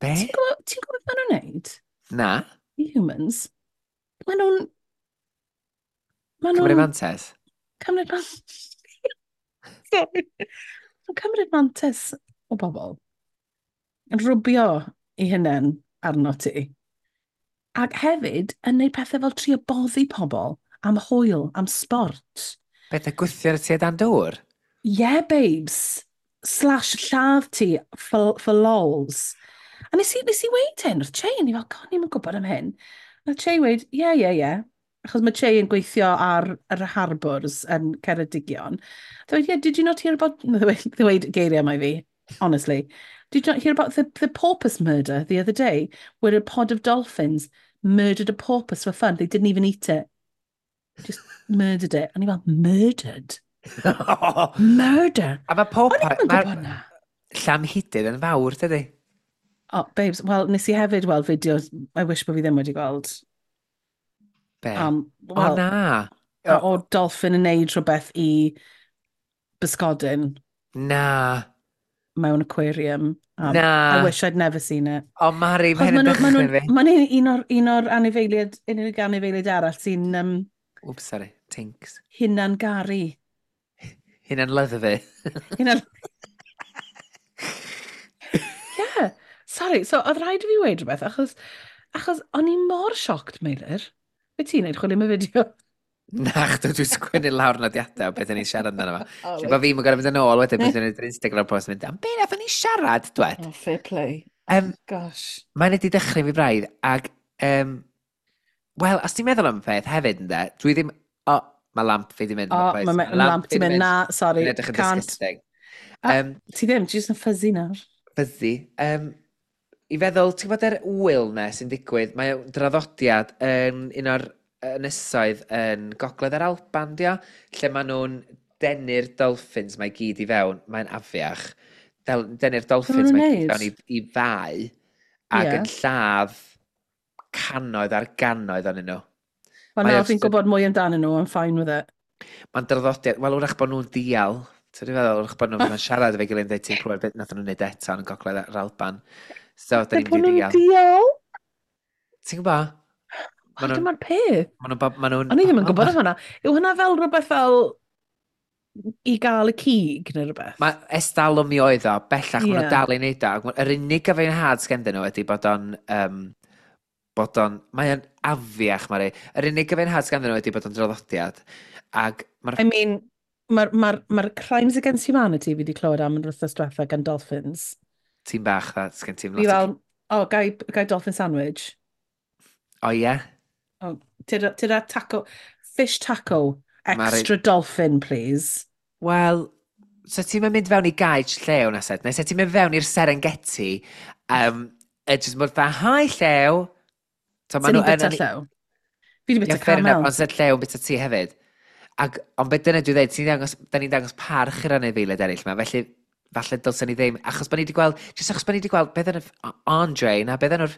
Be? Ti'n gwybod beth maen nhw'n neud? Na. The humans. Maen nhw'n... Maen nhw'n... Cymryd mantes? Cymryd mantes. Sorry. Maen cymryd mantes o bobl. Yn rwbio i hunain arno ti. Ac hefyd yn neud pethau fel trio boddi pobl am hwyl, am sport. Beth, y gwthio'r ti dan dŵr? Yeah, babes. Slash lladd ti for lols. A nes i weud hyn wrth Che, ni fel, "God, ni'n gwybod am hyn." A Che weud, Yeah. Achos mae Che yn gweithio ar yr harbours yn Ceredigion. Dweud, "Yeah, did you not hear about..." Ddweud geiriau mae fi, honestly. "Did you not hear about the porpoise murder the other day, where a pod of dolphins murdered a porpoise for fun? They didn't even eat it. Just murdered it." A ni fel, "Murdered? Murder?" A mae pob... O'n i'n gwybod na. Llamhidydd yn fawr, dydy? Oh, babes, wel, nes i hefyd weld fideos, I wish bod fi ddim wedi gweld. Be? Well, o na! A o dolphin yn neud rhywbeth i bysgodyn. Na. Mewn aquarium. Na. I wish I'd never seen it. O, Mari, mae hyn yn dychryn fi. Mae'n un o'r anifeiliaid, unig anifeiliaid arall sy'n... Oops, sorry. Tinks. Hunan garu. Hunan lyddfu. Hunan... Yeah. Sorry, so oedd rhaid i fi weud rhywbeth, achos o'n i mor shocked, Meilir. Be ti'n neud, chwilio am y fideo? Na, chdo, dwi'n sgwennu lawr nodiadau o beth ni'n siarad amdano fo. Oh, Lle bod fi'n gorfod mynd yn ôl wedyn, beth ni'n neud Instagram post, mynd, am beth nathon ni siarad, dwed? Oh, fair play. Gosh. Mae'n wedi dechrau fi braidd, ag, wel, os ti'n meddwl am y peth hefyd, ynde, dwi ddim, o, oh, mae lamp fi di mynd. O, mae lamp di mynd, na, sorry, Mae'n edrych yn disgusting. Ti ddim, ti jyst yn fuzzy nawr. Fuzzy. I feddwl, ti'n gwybod yr wyl na sy'n digwydd, mae draddodiad yn un o'r ynysoedd yn gogledd yr Alban, dio, lle maen nhw'n denu'r dolphins mae gyd i fewn, mae'n afiach. Denu'r dolphins mae gyd i fewn i fau ac yn lladd cannoedd ar gannoedd ohonyn nhw. Wel, nawr fi'n gwybod mwy amdanyn nhw, I'm fine with it. Mae'n draddodiad, wel, wrach bod nhw'n dial. Ti'n feddwl, wrach bod nhw'n siarad efo'i gilydd yn dweud ti'n clywed beth nath nhw'n neud eto yn gogledd yr Alban. So, da ni'n mynd i ddial. Dial? Ti'n gwybod? O, dyma'r peth. Ma nhw'n... O'n i ddim yn gwybod am hwnna. Yw hwnna fel rhywbeth fel i gael y cig neu rhywbeth? Mae estalwm mi oedd o, bellach yeah. Maen nhw'n dal i wneud o. Yr unig gyfiawnhad sgenddyn nhw ydy bod o'n... Mae o'n afiach, Mari. Yr unig gyfiawnhad sgenddyn nhw ydy bod o'n draddodiad. Ag I mean, mae'r Crimes Against Humanity fi wedi clywed am yn wythnos diwetha gan dolphins. Ti'n bach, dda, sgen ti'n lot. Fi fel, o, gai dolphin sandwich. O, ie? Yeah? Oh, tyda taco, fish taco, extra Mari... dolphin, please. Wel, so ti'n mynd fewn i gaej llew na set, neu so ti'n mynd fewn i'r Serengeti, just mor dda, hi llew. So, maen nhw yn... llew? Fi wedi bita camel. Ond sef llew yn bita ti hefyd. Ac, ond beth dyna dwi'n dweud, da ni'n dangos parch i'r anifeiliaid eraill yma, felly falle dylsen ni ddim, achos bod ni wedi gweld, jyst achos bod ni wedi gweld, beth yn Andre, na, beth yn o'r...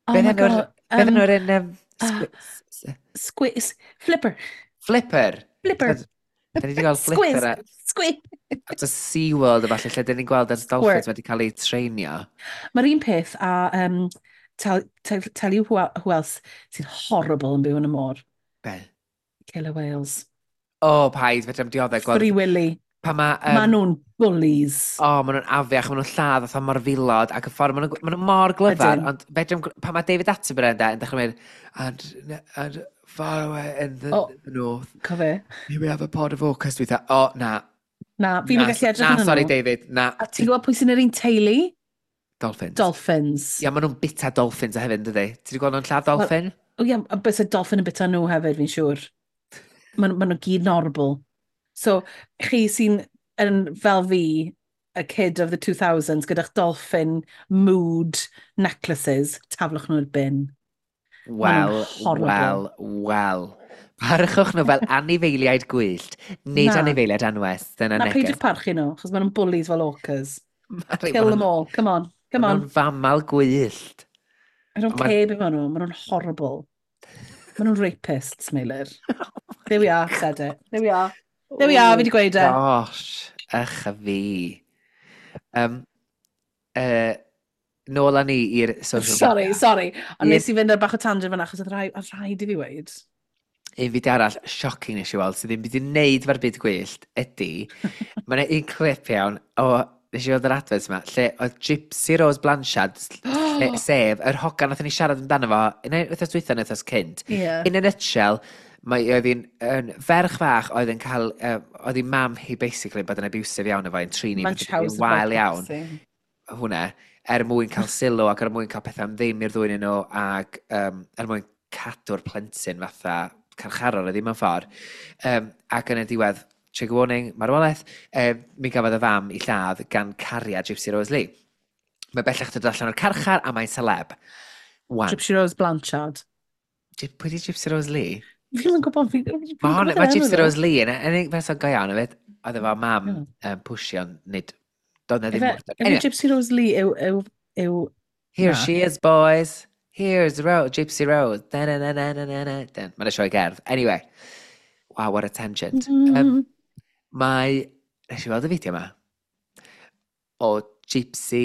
Oh my God. Beth yn o'r un... Squiz. Flipper. Flipper. Flipper. Da ni wedi gweld Flipper. Squiz. At y SeaWorld a falle, lle da ni'n gweld yr dolphins wedi cael eu treinio. Mae'r un peth a tell you who else sy'n horrible yn byw yn y môr. Be? Killer whales. O, oh, paid, fedra i'm dioddef. Free Willy. Pa ma, ma nhw'n bullies. O, oh, maen nhw'n afiach, maen nhw'n lladd fatha morfilod, ac y ffordd, maen nhw mor glyfar, ond fedra, pa mae David Attenborough yn dechrau mynd, and far away in the, the north. Cofe. Here we have a pod of orcas. Dwi'n dda, o, na. Na, fi'n gallu edrych yn. Na, sorry David, na. A ti'n gwybod pwy sy'n yr un teulu? Dolphins. Dolphins. Ia, maen nhw'n bita dolphins a hefyd, dydy? Ti wedi gweld nhw'n lladd dolphin? O ia, bys y dolphin yn bita nhw hefyd, fi'n siŵr. Maen nhw gyd yn horrible. So, chi sy'n yn fel fi, a kid of the 2000s, gyda'ch dolphin mood necklaces, taflwch nhw'r bin. Wel, wel, wel. Parchwch nhw fel anifeiliaid gwyllt, nid anifeiliaid anwes. Dyna neges. Na, peidiwch parchu nhw, achos maen nhw'n bullies fel orcas. Kill them all, come on, come on. Maen nhw'n famal gwyllt. I don't care be maen nhw, maen nhw'n horrible. Maen nhw'n rapists, Meilir. There we are, said it. There we are. There we are, fi wedi gweud e. Gosh, ych a fi. Nôl â ni i'r social media. Sorry. Ond nes i fynd ar bach o tangent fan'na, achos oedd rhaid i fi weud. Un fideo arall, shocking nes i weld, sydd ddim byd i wneud fo'r byd gwyllt, ydy, mae yna un clip iawn o, nes i weld yr advert yma, lle oedd Gypsy Rose Blanchard, sef yr hogan nathon ni siarad amdano fo, un wythnos dwytha neu wythnos cynt. Yeah. In a nutshell, mae oedd hi'n ferch fach oedd yn cael, oedd hi'n mam hi basically bod yn abusive iawn efo, yn trin hi wael iawn. Hwna, er mwyn cael sylw ac er mwyn cael pethau am ddim i'r ddwy'n nhw ac er mwyn cadw'r plentyn fatha carcharor oedd ddim yn ffordd. Ac yn y diwedd, trigger warning, marwolaeth, mi gafodd y fam i lladd gan cariad Gypsy Rose Lee. Mae bellach dod allan o'r carchar a mae'n celeb. Gypsy Rose Blanchard. Pwy di Gypsy Rose Lee? Fi ddim yn gwybod. Mae Gypsy Rose Lee yn unig person go iawn hefyd. Oedd efo mam pwysio, nid... Doedd na ddim wrth. Efe Gypsy Rose Lee yw... Here she is, boys. Here's the road, Gypsy Rose. Da na na na na na na. Mae'n sioe gerdd. Anyway, wow, what a tangent. Mae... Nes i weld y fideo yma o Gypsy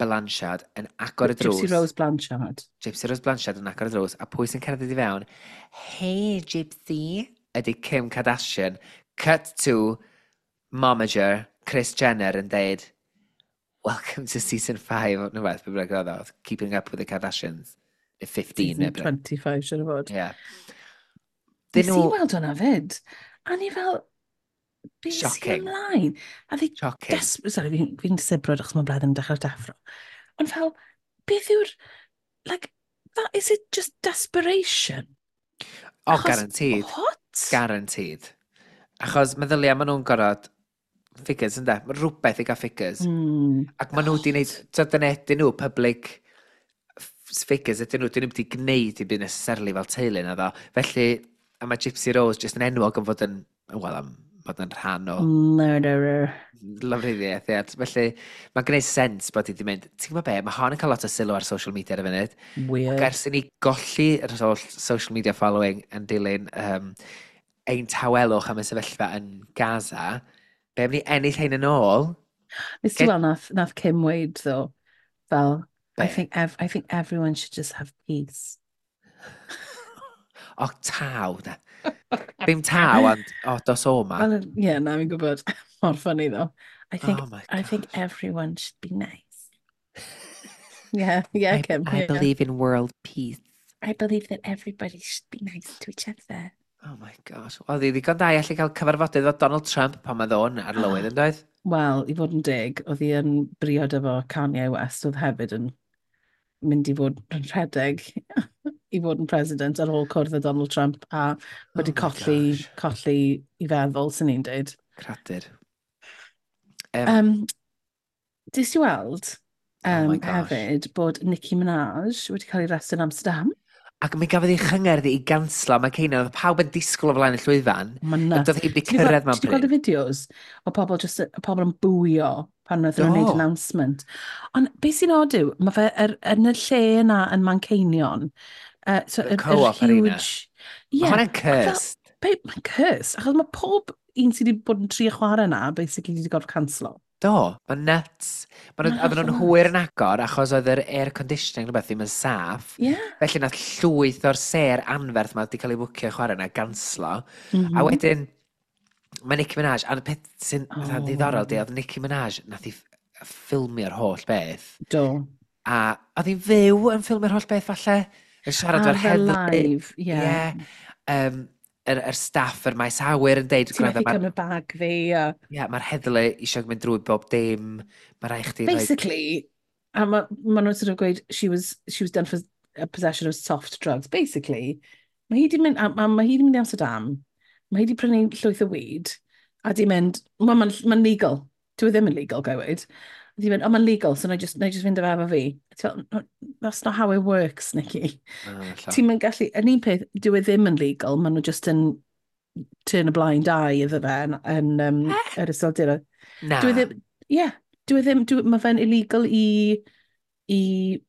Blanchard yn agor y drws. Gypsy Rose Blanchard. Gypsy Rose Blanchard yn agor y drws, a pwy sy'n cerdded i fewn? Hey, Gypsy! Ydy Kim Kardashian. Cut to momager Kris Jenner yn deud, "Welcome to season 5," no beth, beth bynnag oedd o, Keeping Up with the Kardashians. Neu 15. Season Neu beth. 25, siwr o fod. Yeah. Nes Dyn i nhw. weld hwnna fyd. A ni fel, beth sy'n Shocking. ymlaen? A fi Shocking. Sorry, fi'n sibrwd achos mae Bleddyn yn dechrau deffro. Ond fel, beth yw'r, like, that, is it just desperation? Oh, Achos- guaranteed. What? Guaranteed. Achos meddylia maen nhw'n gorfod figures, ynde? Mae rhywbeth i gael figures. Ac maen nhw wedi gwneud, so dyna ydyn nhw, public figures ydyn nhw, dyn nhw wedi gwneud i byd necessarily fel teulu na ddo. Felly, a mae Gypsy Rose jyst yn enwog am fod yn, wel, am fod yn rhan o Murderer. lofruddiaeth, ie. Felly, mae'n gwneud sens bod hi wedi mynd, ti'n gwybod be, mae hon yn cael lot o sylw ar social media ar y funud. Weird. Ac ers i ni golli yr holl social media following yn dilyn ein tawelwch am y sefyllfa yn Gaza, be am ni ennill hein yn ôl? Nes ti weld nath Kim weud, though, fel, Be? I think everyone should just have peace. O, taw, da. Ddim taw, ond, o, dos o ma. Well, yeah, na, fi'n gwybod. Mor funny, though. I think, Oh my I think gosh. everyone should be nice. Yeah, Kim. I Yeah. believe in world peace. I believe that everybody should be nice to each other. Oh my gosh. Wel, ddi ddigon da i allu cael cyfarfodydd efo Donald Trump pan mae ddo'n ar lywydd, yn doedd? Wel, i fod yn deg, oedd hi yn briod efo Kanye West, oedd hefyd yn mynd i fod yn rhedeg i fod yn president ar ôl cwrdd â Donald Trump a wedi Oh my colli, gosh. colli i feddwl, sy'n ni'n dweud. Cradur. Dis i weld Oh my gosh. hefyd bod Nicki Minaj wedi cael ei arestio yn Amsterdam? Ac mi gafodd ei chyngerdd i ganslo, mae Ceina, oedd pawb yn disgwyl o flaen y llwyfan. Mae'n Ac nuts. doedd hi wedi Ti 'di cyrraedd mewn ti 'di gweld y pryd. fideos o pobl, just, pobl yn bwio pan wnaethon nhw'n gwneud Do. announcement. Ond beth sy'n odd yw, mae fe yn y lle yna yn Manceinion. So, The yr Co-op Arena. huge. Mae Yeah, hwnna'n ac fel, cursed. mae'n cursed, achos mae pob un sydd wedi bod yn trio chwarae yna, basically wedi gorfod canslo. Do, mae'n nuts. Ma' Mae'n oedden nhw'n hollol hwyr nuts. yn agor achos oedd yr air conditioning rhywbeth ddim yn saff. Felly nath llwyth o'r sêr anferth ma wedi cael ei fwcio i chwarae yna ganslo. A wedyn, mae Nicki Minaj, a'r peth sy'n fatha ddiddorol di, oedd Nicki Minaj, nath i ffilmio'r holl beth. Do. A oedd hi'n fyw yn ffilmio'r holl beth falle. Yn siarad Ar efo'r fe heddlu. live, ie. Ie. Yr staff, yr maes awyr yn deud, Ti'n "Gwrando, methu cymryd bag fi. A ie, mae'r heddlu eisiau mynd drwy bob dim. Mae rhaid chdi rhoi. Basically, a ma nhw'n sort of gweud, she was done for a possession of soft drugs. Basically, mae hi di mynd, a ma hi di mynd i Amsterdam, mae hi di prynu llwyth o weed, a di mynd, well, mae'n ma legal. Dwi e ddim yn legal, gai weud. A di mynd, oh, mae'n legal, so na i just fynd efo fi. A ti fel, "No, that's not how it works, Nikki." Oh, ella. Ti'n mynd gallu, yn un peth, dyw e ddim yn legal, maen nhw just yn turn a blind eye iddo fe yn yr Iseldiroedd. Na. Dwi ddim, ie, yeah, dwi ddim, mae fe'n illegal i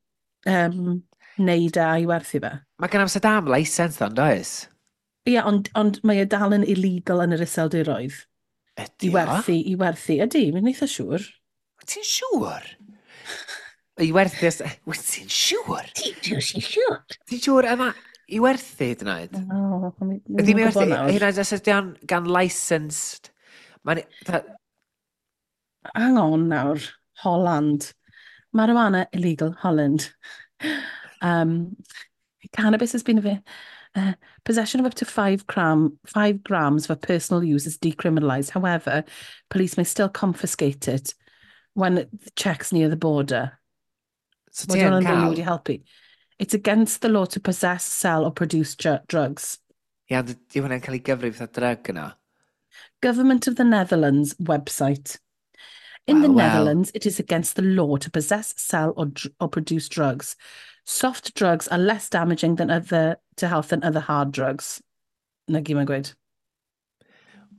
neud a i werthu fe. Mae gen Amsterdam licence ddo, does? Ie, yeah, ond mae e dal yn illegal yn yr Iseldiroedd. Ydy I o? werthu, i werthu. Ydy, mi'n eitha siŵr. Wyt ti'n siŵr? I werthu... Wyt ti'n siŵr? Ti'n siŵr? Ti'n siŵr yma i werthu hyd yn oed? O, Ydy ddim mi yn werthu, gwybod nawr. hyd yn oed os ydy o'n gan licensed. Mae'n... Hang on nawr, Holland. Marijuana illegal, Holland. Cannabis has been possession of up to 5 grams for personal use is decriminalised. However, police may still confiscate it when the checks near the border. So Mae ti yn hwnna'n really cael? wedi helpu. It's against the law to possess, sell or produce drugs. Ie, ond di hwnna'n cael ei gyfrif fatha drug yno. Government of the Netherlands website. In the Wel, wel. Netherlands, it is against the law to possess, sell, or produce drugs. Soft drugs are less damaging than other to health than other hard drugs. Na gyd mae'n gweud.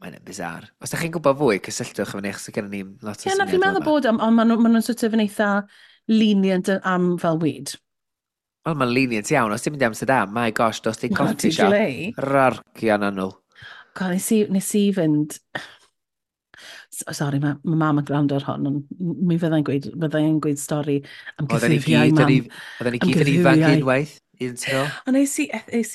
Mae'n bizar. Os da chi'n gwybod fwy, cysylltwch efo ni, achos gennym ni lot o Ie, na, fi'n syniad meddwl yma. bod, ond maen nhw'n sort of yn eitha lenient am fel weed. Wel, mae'n lenient iawn. Os ti'n mynd i Amsterdam, my gosh, dos di Wel, coffee ti'n shop. glei. Rorcio na nhw. God, nes i fynd. Sorry, mae mam yn gwrando ar hon, ond mi fyddai'n gweud stori am Oedden ni gyffuriau, gyd yn mam. Oedden ni Am gyd yn ifanc gyffuriau. unwaith, un tro. Ond es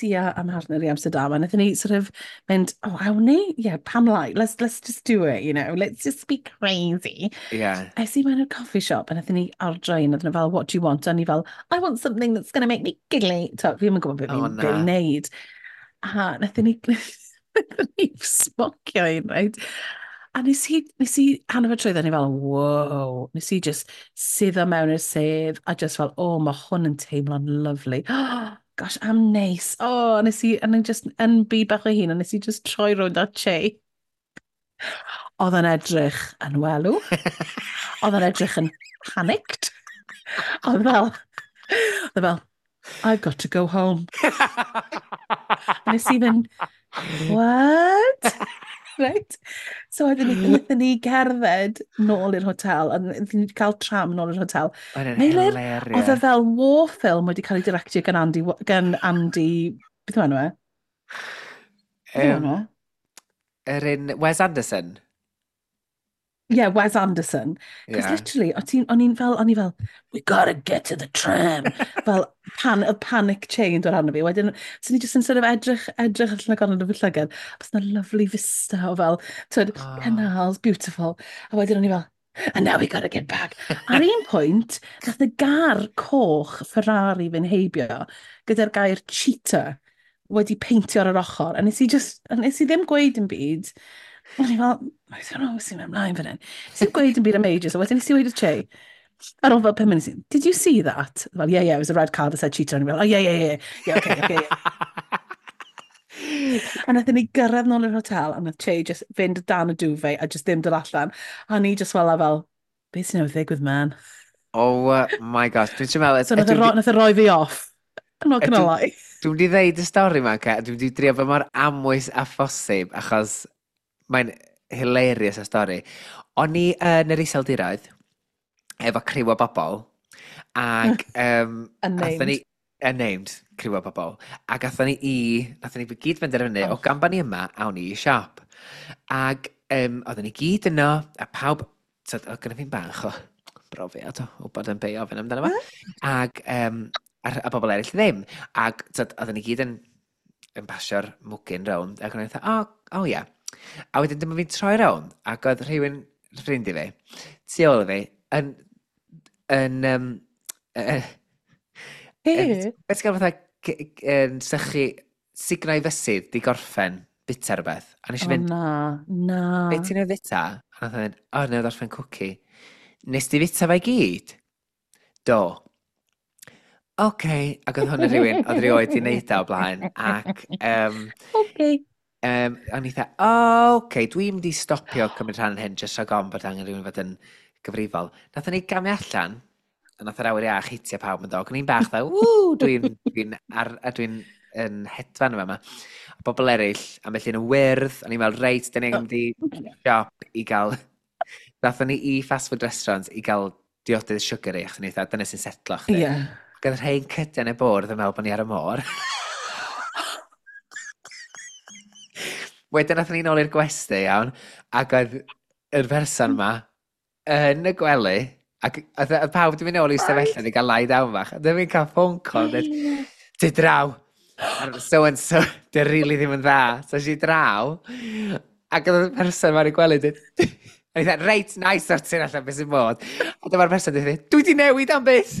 i a mhartner i Amsterdam, a wnaethon ni sort of mynd, "Oh, awn ni? Yeah, pam lai? Let's just do it. Let's just be crazy." Es i mewn i'r coffee shop, a wnaethon ni ordro un, a oedden nhw fel, "What do you want?" A ni fel, "I want something that's going to make me giggly." So, fi ddim yn gwybod beth O, fi'n na. be fi'n neud. A wnaethon ni smocio un, right? A nes i hanner ffordd trwyddo, ni fel, "Wow." Nes i just suddo mewn i'r sedd, a just fel, "Oh, mae hwn yn teimlo'n lovely. Gosh, am neis." Oh, a nes i, a ni just yn byd bach o hun, a nes i just troi rownd at Che. Oedd yn edrych yn welw. Oedd yn edrych yn panicked. Oedd fel, "I've got to go home." A nes i fynd, "What?" Right? So wedyn ni, wnaethon ni gerdded nôl i'r hotel, a wnaethon ni cael tram nôl i'r hotel. Oedd yn Meilir, oedd e hilarious. fel war film wedi cael ei directio gan Andy, beth yw enw e? Beth yw enw e? Yr un Wes Anderson. Yeah, Wes Anderson. Because literally, o'n i fel, "We gotta get to the tram." Fel, y panic chain dod arno fi. Wedyn, so ni just yn sort of edrych allan o gornel o fy llygad. Bys na lovely vista o fel, twyd, canals, beautiful. A wedyn o'n i fel, "And now we gotta get back." Ar un pwynt, nath y gar coch Ferrari fynd heibio gyda'r gair "cheater" wedi peintio ar yr ochr. A nes i ddim gweud yn byd. O'n i fel, "I don't know sy'n mynd ymlaen fan hyn." Nes i ddim gweud yn byd am ages, a wedyn nes i weud i Che, ar ôl fel 5 munud, "Did you see that?" Fel, Yeah, it was a red car that said 'cheater.'" O'n i fel, "Oh, yeah, okay." A nathon ni gyrraedd nôl i'r hotel, a nath Che just fynd dan y duvet a just ddim dod allan. A ni just fel, "Beth sy'n newydd ddigwydd, man?" Oh my gosh, dwi'n meddwl. So nath e roi fi off. I'm not gonna lie. Dwi'n wedi ddeud y stori yma, ca, dwi'n wedi drio fod mor amwys a phosib, achos mae'n hilarious y stori. O'n i yn yr Iseldiroedd, efo criw o bobl, ac Unnamed. athon ni, unnamed criw o bobl, ac athon ni gyd benderfynu, Oh. o gan bod ni yma, awn ni i siop. Ac oedden ni gyd yno, a pawb, so, oedd gynna fi'n bach o brofiad o bod yn beio ofyn amdano fo. Ac a bobl eraill ddim. Ac tyd, oedden ni gyd yn pasio'r mwgyn rownd, ac o'n i'n dweud, "Oh, yeah." A wedyn dyma fi'n troi rownd, ac oedd rhywun, ffrind i fi, tu ôl i fi, yn Hey. beth ti'n gael fatha, yn sychu, sugno i fysydd, di gorffen, bita rhywbeth. A nes i Oh, fynd, na, na. "Be ti'n ei fita?" A nath o fynd, "O, newydd orffen cwci." "Nes di fita fe i gyd?" "Do." "Oce." Ac oedd hwn yn rhywun, oedd rioed di wneud o o blaen. Ac o'n i dda, "O, oce, dwi'n mynd i stopio cymryd rhan yn hyn, jyst rhag ofn bod angen rhywun fod yn gyfrifol." Nathon ni gamu allan, a nath yr awyr iach hitio pawb yn dod. O'n i'n bach fel, "Ww, dwi'n dwi yn hedfan yma." A bobl eraill, ambell un yn wyrdd, o'n i'n meddwl, "Reit, dyn ni'n mynd i siop i gael." Nathon ni i fast food restaurant i gael diodydd sugary, achos o'n i dda, "Dyna sy'n setlo chdi." Ac oedd rhai'n cydiau yn y bwrdd yn meddwl bod ni ar y môr. Wedyn nathon ni nôl i'r gwesty, iawn, ac oedd yr person ma yn y gwely, ac oedd pawb wedi mynd nôl i stafell i gael lie down bach. A dyma fi'n cael phone call, dweud, "Di draw, so and so, di really ddim yn dda." So si draw, ac oedd y person ma'n y gwely, dweud, a ni dweud, "Reit, nice sortio allan beth sy'n bod." A dyma'r person dweud, "Dwi di newid am byth."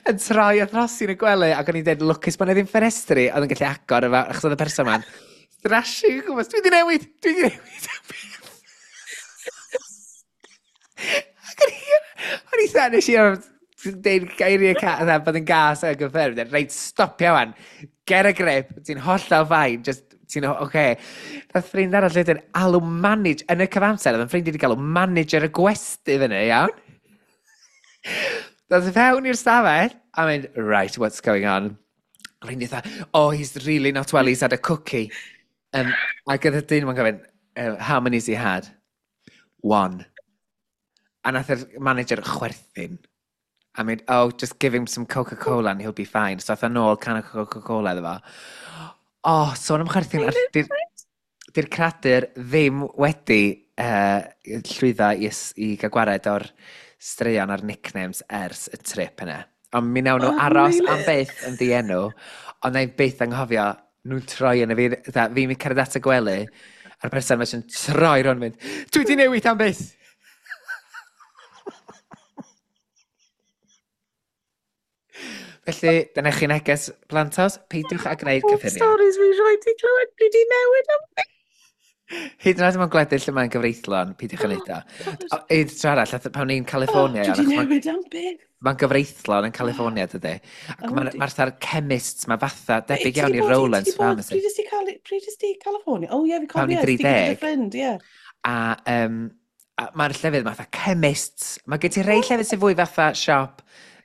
Yn troi a throsi yn y gwely, ac o'n i'n dweud, lwcus bod 'na ddim ffenestri, oedd yn gallu agor efo, achos oedd y person ma'n thrashing o gwmpas, "Dwi di newid, dwi di newid am byth." Ac o'n i dda, nes i deud geiriau ca, bod yn gas ac yn ffyrdd, "Reit, stopia wan, get a grip, ti'n hollol fine, just, ti'n oce." Okay. Nath ffrind arall wedyn alw manage, yn y cyfamser, oedd yn ffrind i wedi galw manager y gwesty fyny, iawn? Dath fewn i'r stafell, a mynd, "Right, what's going on?" Ffrind i dda, "Oh, he's really not well, he's had a cookie." Ac oedd y dyn ma'n gofyn, "How many's he had?" "One." A nath yr manager chwerthin. A mynd, "Oh, just give him some Coca-Cola and he'll be fine." So ath o nôl can o Coca-Cola iddo fo. Oh, sôn am chwerthin, di'r di cradur ddim wedi llwyddo i gael gwared o'r straeon a'r nicknames ers y trip yna. Ond mi nawn nhw aros am byth yn ddienw, ond na i byth anghofio nhw'n troi yn y fi, fi'n mynd cerdded at y gwely, a'r person mae'n troi rhwng mynd, "Dwi di newid am byth!" Felly, dyna chi neges, plantos, peidiwch â gwneud cyffuriau. Stories fi rhaid i clywed, dwi di newid am byth. Hyd yn oed mewn gwledydd lle mae'n gyfreithlon, peidiwch â wneud o. Un tro arall, pan ni'n California... Dwi di newid am byth. Mae'n gyfreithlon yn California, dydy. Ac mae'r ma chemists, mae fatha debyg iawn i Rowlands Pharmacy. Pryd ys ti California? Oh ie, fi cofio. Pan ni'n 30. Ffrind, ie. A mae'r llefydd fatha chemists. Mae gen ti rei llefydd sy'n fwy fatha siop,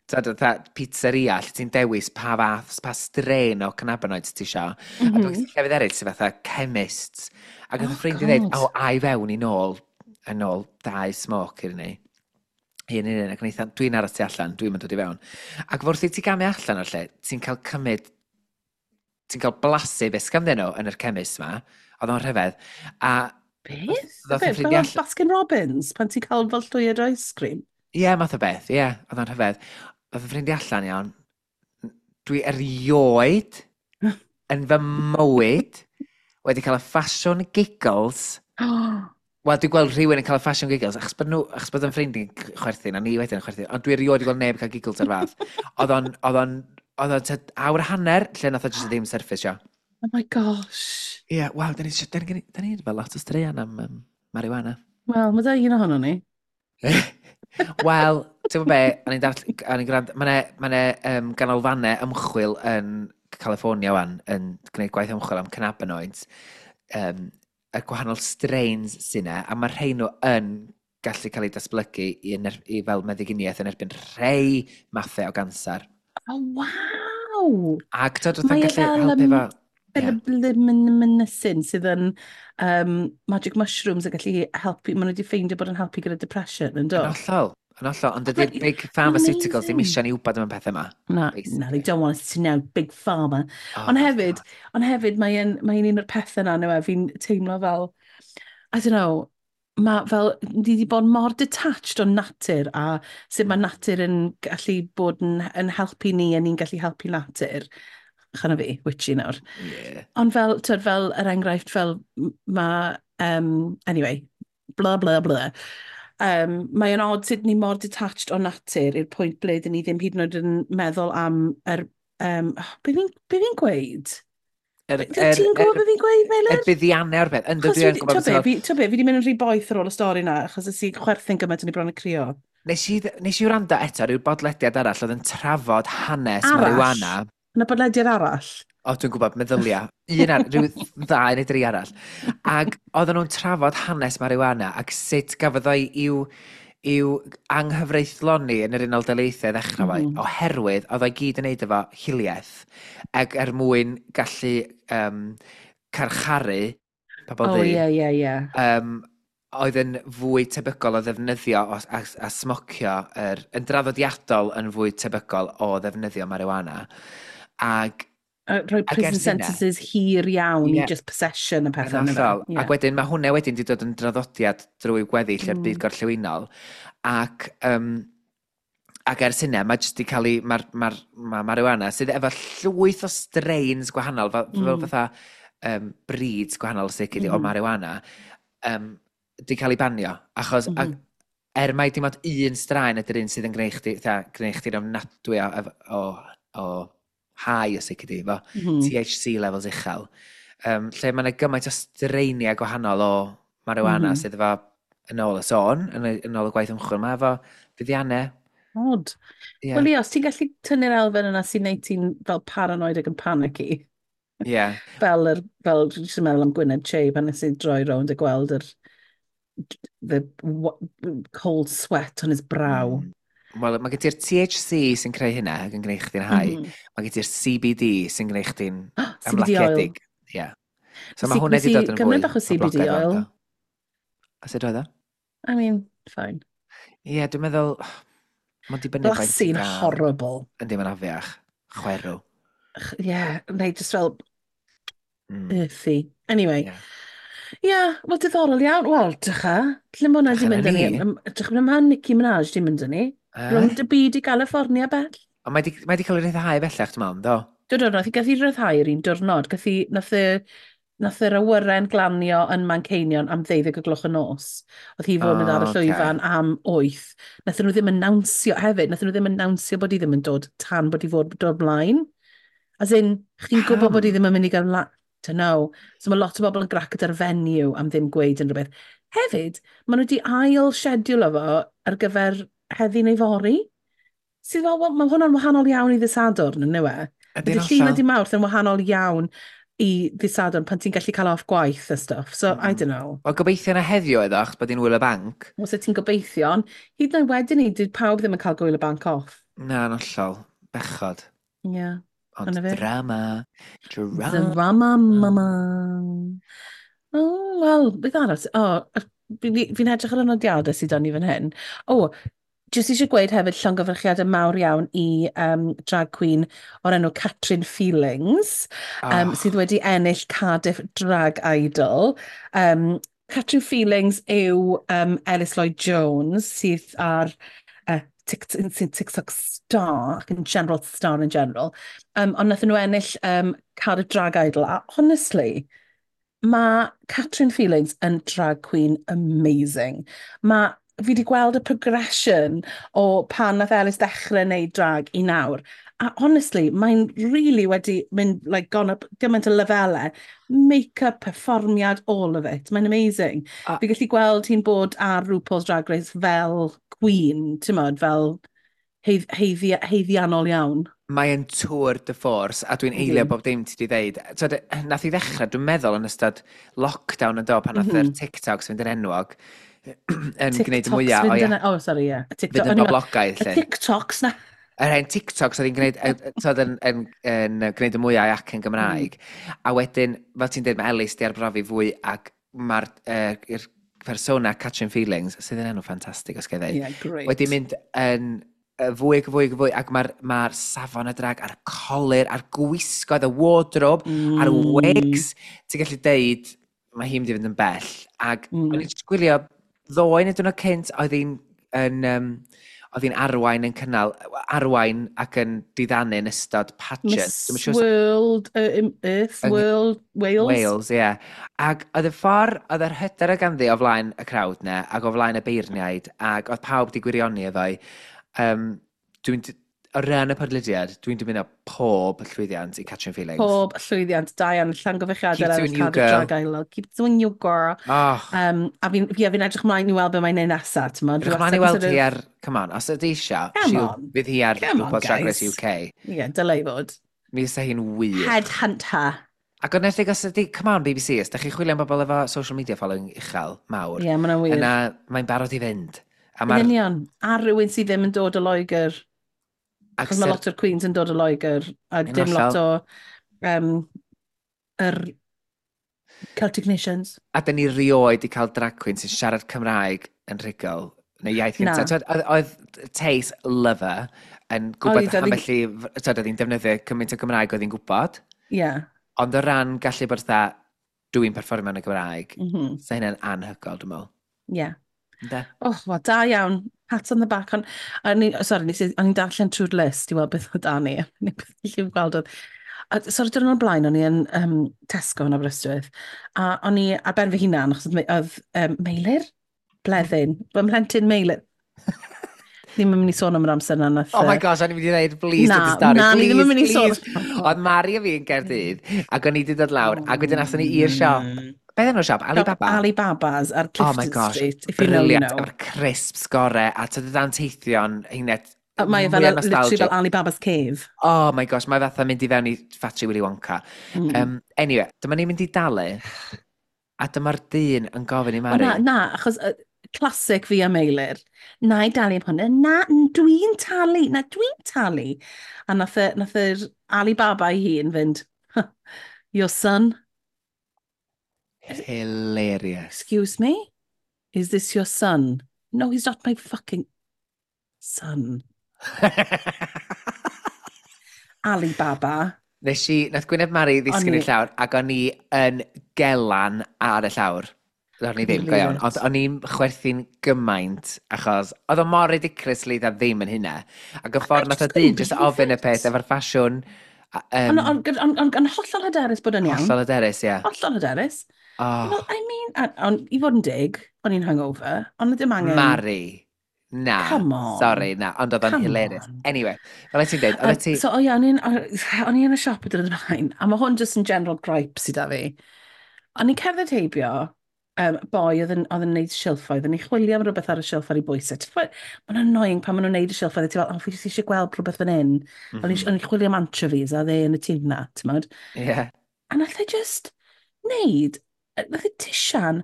fatha pizzeria, lle ti'n dewis pa fath, pa strain o cannabinoids ti isio. A dwi'n llefydd eraill sy'n fatha chemists. Ac oedd y ffrind i dweud, o, a i fewn i nôl, yn ôl dau smoke i'r ni. Un un un, ac yn eitha, dwi'n aros tu allan, dwi'n mynd dod i fewn. Ac wrth i ti gamu allan o'r lle, ti'n cael cymryd, ti'n cael blasu beth sganddyn nhw yn yr chemist ma, oedd o'n rhyfedd. A beth? Beth? Fel Baskin Robbins, pan ti'n cael fel llwyed o ice cream? Ie, yeah, math o beth, ie, yeah, oedd o'n rhyfedd. Oedd y ffrindiau allan iawn, dwi erioed yn fy mywyd wedi cael y ffasiwn giggles. Wel, dwi'n gweld rhywun yn cael y ffasiwn giggles, achos bod nhw, achos bod yn ffrindi'n chwerthin, a ni wedyn yn chwerthin, ond dwi erioed wedi gweld neb yn cael giggles ar fath. Oedd o'n, oedd o'n, oedd o'n awr a hanner, lle nath o jyst ddim surface, Oh my gosh. Ie, yeah, waw, da ni, da ni fel lot o straeon am marijuana. Wel, mae da un ohono ni. Wel, ti'n gwybod be, o'n i'n gwrando, mae yna ganolfannau ymchwil yn California wan, yn gwneud gwaith ymchwil am cannabinoids, y gwahanol strains sy'n yna, a mae rhai nhw yn gallu cael eu datblygu i fel meddyginiaeth yn erbyn rhai mathau o gansar. Oh, waw! Ac dod wrth yn gallu helpu efo... Fel y blymynysyn sydd yn magic mushrooms yn gallu helpu, maen nhw wedi ffeindio bod yn helpu gyda depression, yn do? Yn hollol, yn hollol, ond dydy'r big pharmaceuticals ddim eisiau ni wybod am y pethau yma. Na, na, they don't want us to know, big pharma. Oh, ond hefyd, mae'n mae un o'r pethau yna, no, fi'n teimlo fel, I don't know, mae fel, ni wedi bod mor detached o natur a sut mae natur yn gallu bod yn helpu ni a ni'n gallu helpu natur. Chana fi, witchy nawr. Yeah. Ond fel, twyd, fel yr enghraifft, fel mae, anyway, bla bla bla. Mae yn odd sut ni mor detached o natur i'r pwynt ble dyn ni ddim hyd yn oed yn meddwl am yr, be fi'n gweud? Ti'n gwybod beth fi'n gweud, Meilir? Er buddiannau o'r beth. Ynddo, dwi yn gwybod beth. Ti'n be, fi wedi mynd yn rhy boeth ar ôl y stori na, achos ys i chwerthin gymaint o'n i bron y crio. Nes i wrando eto rhyw bodlediad arall oedd yn trafod hanes marijuana. Yna bodlediad arall? O, dwi'n gwybod, meddylia. Un ar, rhyw ddau neu dri arall. Ac oedden nhw'n trafod hanes marijuana ac sut gafodd o'i i'w anghyfreithloni yn yr Unol Daleithiau ddechrau fo, oherwydd oedd o'i gyd yn neud efo hiliaeth ac er mwyn gallu carcharu pobl ddu. Oh, ie, ie, ie. Oedd yn fwy tebygol o ddefnyddio a smocio, yn draddodiadol yn fwy tebygol o ddefnyddio marijuana. Ac rhoi prison sentences hir iawn i just possession a pethau yna. Yeah. Ac wedyn mae hwnna wedyn wedi dod yn draddodiad drwy gweddill i'r byd gorllewinol. Ac, ac ers hynna, mae jyst wedi cael ei... Mae marijuana sydd efo llwyth o strains gwahanol, fel fatha breeds gwahanol sydd o marijuana, wedi cael ei banio. Achos er mai dim ond un straen ydy'r un sydd yn gwneud chdi'n ofnadwy o high os ydy, efo THC levels uchel. Lle mae yna gymaint o straeniau gwahanol o marijuana sydd efo, yn ôl y sôn, yn ôl y gwaith ymchwil, mae efo fuddiannau. Odd. Yeah. Wel, ie, os ti'n gallu tynnu'r elfen yna sy'n neud ti'n fel paranoid ac yn panicky. Yeah. Fel, dwi'n jyst yn meddwl am Gwyneb Che pan nes i droi rownd a gweld yr the cold sweat on his brow. Wel, mae gen ti'r THC sy'n creu hynna ac yn gwneud chdi'n high. Mae gen ti'r CBD sy'n gwneud chdi'n ymlaciedig. Yeah. So mae hwnna wedi dod yn fwy. Gymryd bach o CBD oil. A sut oedd o? I mean, fine. Ie, yeah, dwi'n meddwl, mae'n dibynnu faint ti'n Blasu'n gael. horrible. Yndi, mae'n afiach. Chwerw. Ie, yeah, neu just fel earthy. Anyway. Yeah. Ie, yeah, wel diddorol iawn. Wel, dycha, lle mae hwnna di Dycha mynd na â ni? ni. Dych mae Nicki Minaj di mynd â ni. Eh? Rownd y byd i California bell. Ond mae di cael ei ryddhau bellach, dwi'n meddwl, do? Do, do, nath i gath i ryddhau yr un diwrnod. Gath i, nath yr awyren glanio yn Manceinion am 12 o gloch y nos. Oedd hi fod mynd ar y O, oce. llwyfan am 8. Nath nhw ddim annawnsio hefyd, nath nhw ddim annawnsio bod hi ddim yn dod tan bod hi fod dod mlaen. As in, chdi'n gwybod bod hi Pam? ddim yn mynd i gael mlaen. Don't know. So mae lot o bobl yn grac gyda'r venue am ddim gweud unrhyw beth. Hefyd, maen nhw wedi ail schedule fo ar gyfer heddi neu fory. Sydd fel, wel, mae hwnna'n wahanol iawn i ddydd Sadwrn, yn yw e? Ydy'n Ydy llun hollol. a dydd Mawrth yn wahanol iawn i ddydd Sadwrn pan ti'n gallu cael off gwaith a stuff. So, I don't know. Wel, gobeithio na heddiw oedd o, achos bod hi'n wyl y banc. Os y ti'n gobeithio, ond hyd yn oed wedyn ni, dyd pawb ddim yn cael gwyl y banc off. Na, yn hollol. Bechod. Ie. Yeah. Ond Dyna fe. drama. Drama. Drama mama. Oh, wel, beth arall? O, oh, fi'n edrych ar y nodiadau sydd 'da ni fan hyn. O, oh, jyst eisiau gweud hefyd llongyfarchiadau mawr iawn i drag queen o'r enw Catrin Feelings, Oh, sydd wedi ennill Cardiff Drag Idol. Catrin Feelings yw Ellis Lloyd Jones, sydd ar sy'n TikTok star ac yn general star in general. Ond nathon nhw ennill Cardiff Drag Idol. A honestly, mae Catrin Feelings yn drag queen amazing. Mae fi wedi gweld y progression o pan nath Ellis ddechrau wneud drag i nawr. A honestly, mae'n really wedi mynd, like, gone up gymaint o lefelau. Make-up, perfformiad, all of it. Mae'n amazing. Fi gallu gweld hi'n bod ar RuPaul's Drag Race fel queen, ti'n modd, fel haeddiannol iawn. Mae'n tour de force, a dwi'n eilio Yndi. bob dim ti wedi ddeud. T'od, nath i ddechrau, dwi'n meddwl, yn ystod lockdown yn do, pan nath yr TikToks fynd yn enwog, yn gwneud y TikToks mwyaf o fynd ia, yn... Oh, sorry, ie. Yeah. fynd TikTok, yn o'n i'n meddwl, boblogaidd, y lle. TikToks na. Yr hen TikToks oedd hi'n gwneud, t'od, yn gwneud y mwyaf ac yn Gymraeg. A wedyn, fel ti'n dweud, mae Ellis di arbrofi fwy ac mae'r persona Catrin Feelings, sydd yn enw ffantastig os ga i ddeud, Yeah, great. wedi mynd yn fwy ac fwy ac fwy, ac mae'r safon y drag a'r colur, a'r gwisgoedd, y wardrobe, a'r wigs, ti'n gallu deud, mae hi'n mynd i fynd yn bell. Ac o'n i'n jyst gwylio ddoe neu diwrnod cynt, oedd hi'n arwain yn cynnal, arwain ac yn diddanu yn ystod pageant. Miss Dwi'm yn siŵr os- World, Earth, World, Wales. Wales, ie. Yeah. Ac oedd y ffordd, oedd yr hyder o ganddi o flaen y crowd na, ac o flaen y beirniaid, ac oedd pawb di gwirioni efo hi. Dwi'n, o ran y podlediad, dwi'n dymuno pob llwyddiant i Catrin Feelings. Pob llwyddiant, da iawn, llongyfarchiadau Keep ar doing you, Cardiff girl. Drag Idol. Keep doing you, girl. Oh, A fi'n fi edrych ymlaen i weld be mae'n neud nesaf, ti'n modd. edrych ymlaen i weld hi ar, come on, os ydy eisiau, Come she'll- on. fydd hi ar Come on, RuPaul's Drag Race guys. UK. Ie, yeah, dylai fod. Mi fysa hi'n wych. Headhunt her. Ac ond enwedig os ydy, come on BBC, os da chi'n chwilio am bobl efo social media following uchel, mawr, Ie, yeah, mae'n wir. yna mae'n barod i fynd. A Yn mae'r union. A rhywun sydd ddim yn dod o Loegr. Ac Achos mae lot o'r Queens yn dod o Loegr. A Yn dim lot hollol. o yr Celtic Nations. A dyn ni rioed i cael drag queen sy'n siarad Cymraeg yn rhugl, neu iaith Na. gyntaf. T'wod, oedd Tayce Lover yn gwybod Oedd, oedd ambell i, t'wod, oedd hi'n defnyddio cymaint o Gymraeg oedd hi'n gwybod. Ie. Yeah. Ond o ran gallu bod fatha, dwi'n perfformio yn y Gymraeg, sa hynna'n anhygoel, dwi'n meddwl. Ie. Yeah. Ynde? Oh, wel, da iawn. Pat on the back. On, o'n i, sorry, o'n i'n darllen trwy'r list i weld beth oedd 'da ni. O'n i'n gallu gweld oedd... A, sorry, diwrnod o'r blaen, o'n i yn Tesco yn Aberystwyth. A o'n i ar ben fy hunan, achos oedd Meilir? Bleddyn. Fy mhlentyn Meilir. Ddim yn mynd i sôn am yr amser na. Nath, Oh my gosh, o'n i'n mynd i dweud, please, Na, dod y stori. na, ni ddim yn mynd i sôn. please. Oedd Mari a fi yn Gaerdydd, ac o'n i wedi dod lawr, ac wedyn athon ni i'r siop. Beth enw'r siop? Alibaba? Alibabas ar Oh my Clifton gosh, Street. If you know, you brilliant. know. Efo'r crisps gore, a tyd y danteithion, hynny, A Mae e fel, mwya literally nostalgic. fel Alibaba's Cave. Oh my gosh, mae fatha mynd i fewn i Factory Willy Wonka. Anyway, dyma ni'n mynd i dalu, a dyma'r dyn yn gofyn i O, Mari. na, na, achos classic fi a Meilir. Na i dalu am hwnna. Na, dwi'n talu. Na, dwi'n talu. A nath yr Alibaba ei hun fynd, "Your son?" Hilarious. "Excuse me? Is this your son?" "No, he's not my fucking..." Son. Alibaba. Nes i, nath Gwyneb Mari ddisgyn i'r llawr, ac o'n i yn gelan ar y llawr. O'n i ddim, go iawn. Ond o'n i'n chwerthu'n gymaint, achos oedd o mor ridiculously dda ddim yn hynna. Ac y ffordd nath o dyn just ofyn y peth efo'r ffasiwn. Ond on hollol hyderus bod yn iawn. Hollol hyderus, ie. Yeah. Hollol hyderus. Oh. Well, I mean, on, i fod yn dig, o'n i'n hungover, ond ddim angen. Mari. Na. Come on. Sorry, na. Ond oedd o'n hilarious. Anyway, fel ti'n dweud, oedd ti. So, o ia, o'n i yn y siop y dyrnod ymlaen, a mae hwn just yn general gripe sydd â fi. O'n i'n cerdded heibio, boi oedd yn neud silffoedd, o'n i'n chwilio am rhywbeth ar y silff ar ei bwysau. Mae'n annoying pan maen nhw'n neud y silffoedd, a ti fel, "Oh, fi jyst eisiau gweld rhywbeth fan hyn." O'n i'n chwilio am anchovies, a dde yn y tuna, ti'n modd? Yeah. A nath e just neud, nath e tisian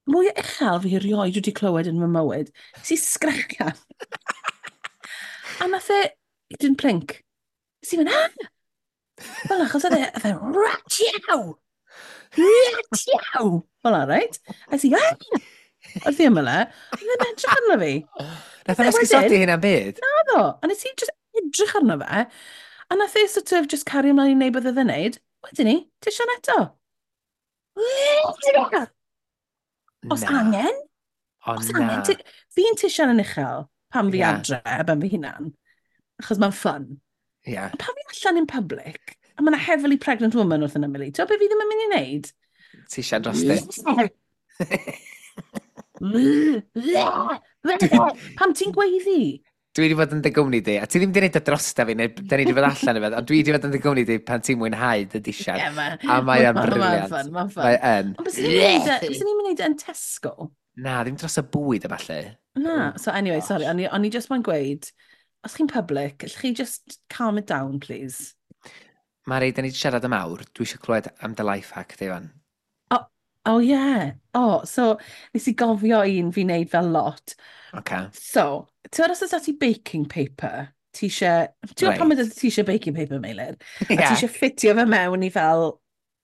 mwy uchel fi erioed wedi clywed yn fy mywyd. Nes i sgrechian. A nath e, didn't blink. Nes i fynd, "Ah!" Fel achos oedd e, "Ratiow! Ratiow!" Fel reit? A nes i, "Ah!" Wrth i ymyl e, oedd e'n edrych arno fi. Nath o'n esgusodi hynna'n byd? Naddo. A nes i just edrych arno fe. A nath e sort of just cario ymlaen i wneud beth oedd e'n neud. Wedyn ni, tisian eto. Os Na. angen, O, os na. angen. Fi'n tisian yn uchel pan fi adre, ben fy hunan. Achos mae'n fun. Ond pan fi allan in public, a mae yna heavily pregnant woman wrth yn ymyl i, ti'n gwybod beth fi ddim yn mynd i wneud? Tisian dros di. Pam ti'n gweiddi? Dwi wedi bod yn dy gwmni di, a ti ddim wedi gwneud y drosta fi, neu da ni wedi bod allan efo, ond dwi wedi bod yn dy gwmni di pan ti'n mwynhau dy disiad. Ie, A mae o'n Mae'n brilliant. fun, mae'n fun. Mae yn. Ond bys ni'n mynd i yn Tesco? Na, ddim dros y bwyd a falle. Na, so anyway, Gosh. Sorry, o'n i just moyn gweud, os chi'n public, allwch chi just calm it down, please? Mari, da ni wedi siarad am awr. Dwi eisiau clywed am dy life hack, di fan. Oh yeah. Oh, so nes i gofio un fi'n neud fel lot. Okay. So, ti'n meddwl os oes ti baking paper, ti eisiau. Ti'n gwybod pam ydy ti eisiau baking paper, Meilir? A ti eisiau ffitio fe mewn i fel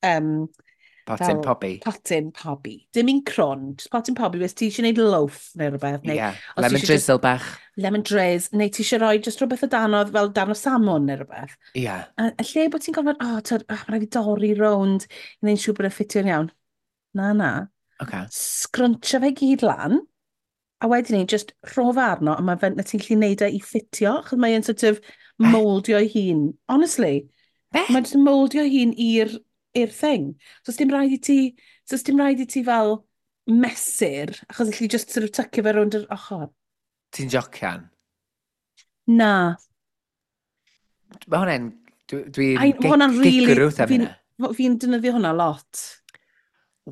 Potyn fel pobi. Potyn pobi. Dim un crwn, just potyn pobi, wes ti eisiau gwneud loaf neu rhywbeth. Neu os ti Lemon isie drizzle bach. Lemon drizzle, neu ti eisiau rhoi just rhywbeth o danodd fel darn o salmon neu rhywbeth. A lle bod ti'n gorfod, "Oh, tyd, oh, mae rhaid fi dorri rownd i wneud siŵr bod e'n ffitio'n iawn." Na, na. Scrunchio fe gyd lan, a wedyn ni, just rho fe arno, a mae fe, na ti'n gallu neud e i ffitio, achos mae'n sort of mouldio ei hun. Honestly, Be? mae'n just mouldio ei hun i'r thing. So, dim rhaid i ti, so dim rhaid i ti fel mesur, achos allu just sort of tucio fe rownd yr ochr. Ti'n jocian? Na. Mae hwnna'n. Dwi'n Ai, ma' hwnna'n really gigrwth am hynna. Fi'n defnyddio hwnna lot.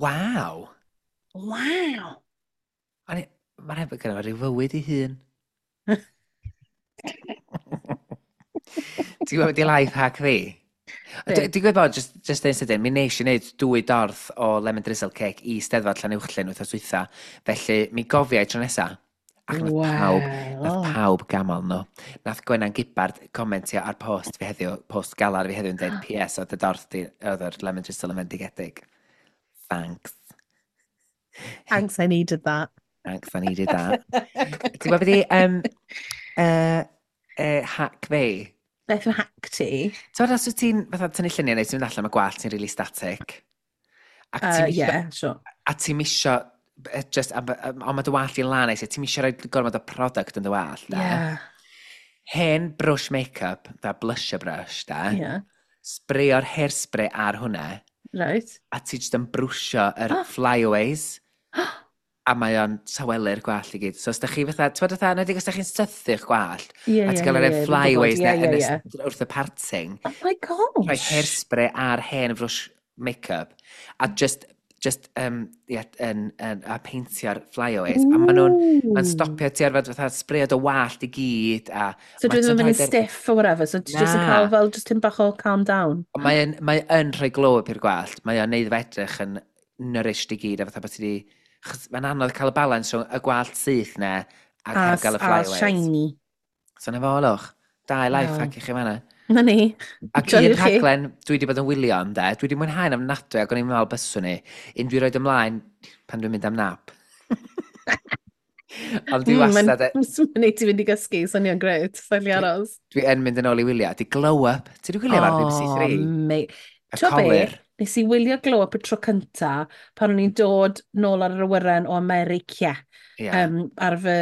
Waw. Waw. Mae'n rhaid bod gyda fo rhyw fywyd i hun. Ti'n gwybod di life hack fi? Be? Dwi'n gwybod bod, just yn sydyn, mi nes i wneud dwy dorth o lemon drizzle cake i Steddfod Llanuwchllyn wythnos dwytha. Felly, mi gofiau tro nesa. Ac nath pawb gamol nhw. Nath Gwenan Gibbard comentio ar post fi heddiw, post galar fi heddiw yn dweud, "PS, oedd y dorth di, oedd yr lemon drizzle yn fendigedig. Thanks." Thanks, I needed that. Thanks, I needed that. Ti'n gwybod beth i, hack fi? Beth yw hack ti? Ti'n os wyt ti'n fatha tynnu lluniau neu ti'n mynd allan mae gwallt ti'n really static? Ac ti'n isio, Yeah, sure. a ti'n isio, just, ond mae dy wallt i'n lan eisiau, ti'n isio rhoi gormod o product yn dy wallt, da. Hen brush make-up, da blusher brush, da. Spreio'r hairspray ar hwnna, a ti jyst yn brwsio yr flyaways, a mae o'n tawelu'r gwallt i gyd. So os da chi fatha, ti'n fatha, nedig os da chi'n sythu'ch gwallt, a ti'n cael yr flyaways na yn wrth y parting, Oh my gosh. rhoi hairspray ar hen frwsh make-up, a just, yeah, a peintio'r flyaways, a maen nhw'n mae'n stopio ti ar fod fatha sbreio dy wallt i gyd, a So ma' dwi ddim ti'n yn mynd yn rhoid stiff or whatever, so ti just yn Na. cael fel just tipyn bach o calm down. Ond mae yn rhoi glow up i'r gwallt, mae o'n neud fe edrych yn nourished i gyd, a fatha bod ti di. Chos mae'n anodd cael y balans rhwng y gwallt syth na ac A, heb gael y a flyaways. shiny. So na fo, lwch. Dau life hack i chi fanna. Na ni. Ac Joiwch un chi. rhaglen dwi wedi bod yn wylio ynde, dwi wedi mwynhau'n ofnadwy ac o'n i'n meddwl byswn ni, un dwi'n rhoi ymlaen pan dwi'n mynd am nap. Ond dwi wastad. Mae'n neud ti fynd i gysgu, swnio'n grêt, sa'n li aros. Dwi yn mynd yn ôl i wylio. Di Glow Up. Ti wedi gwylio ar BBC 3? Mate. Y colur. Nes i wylio Glow Up y tro cynta pan o'n i'n dod nôl ar yr awyren o America ar fy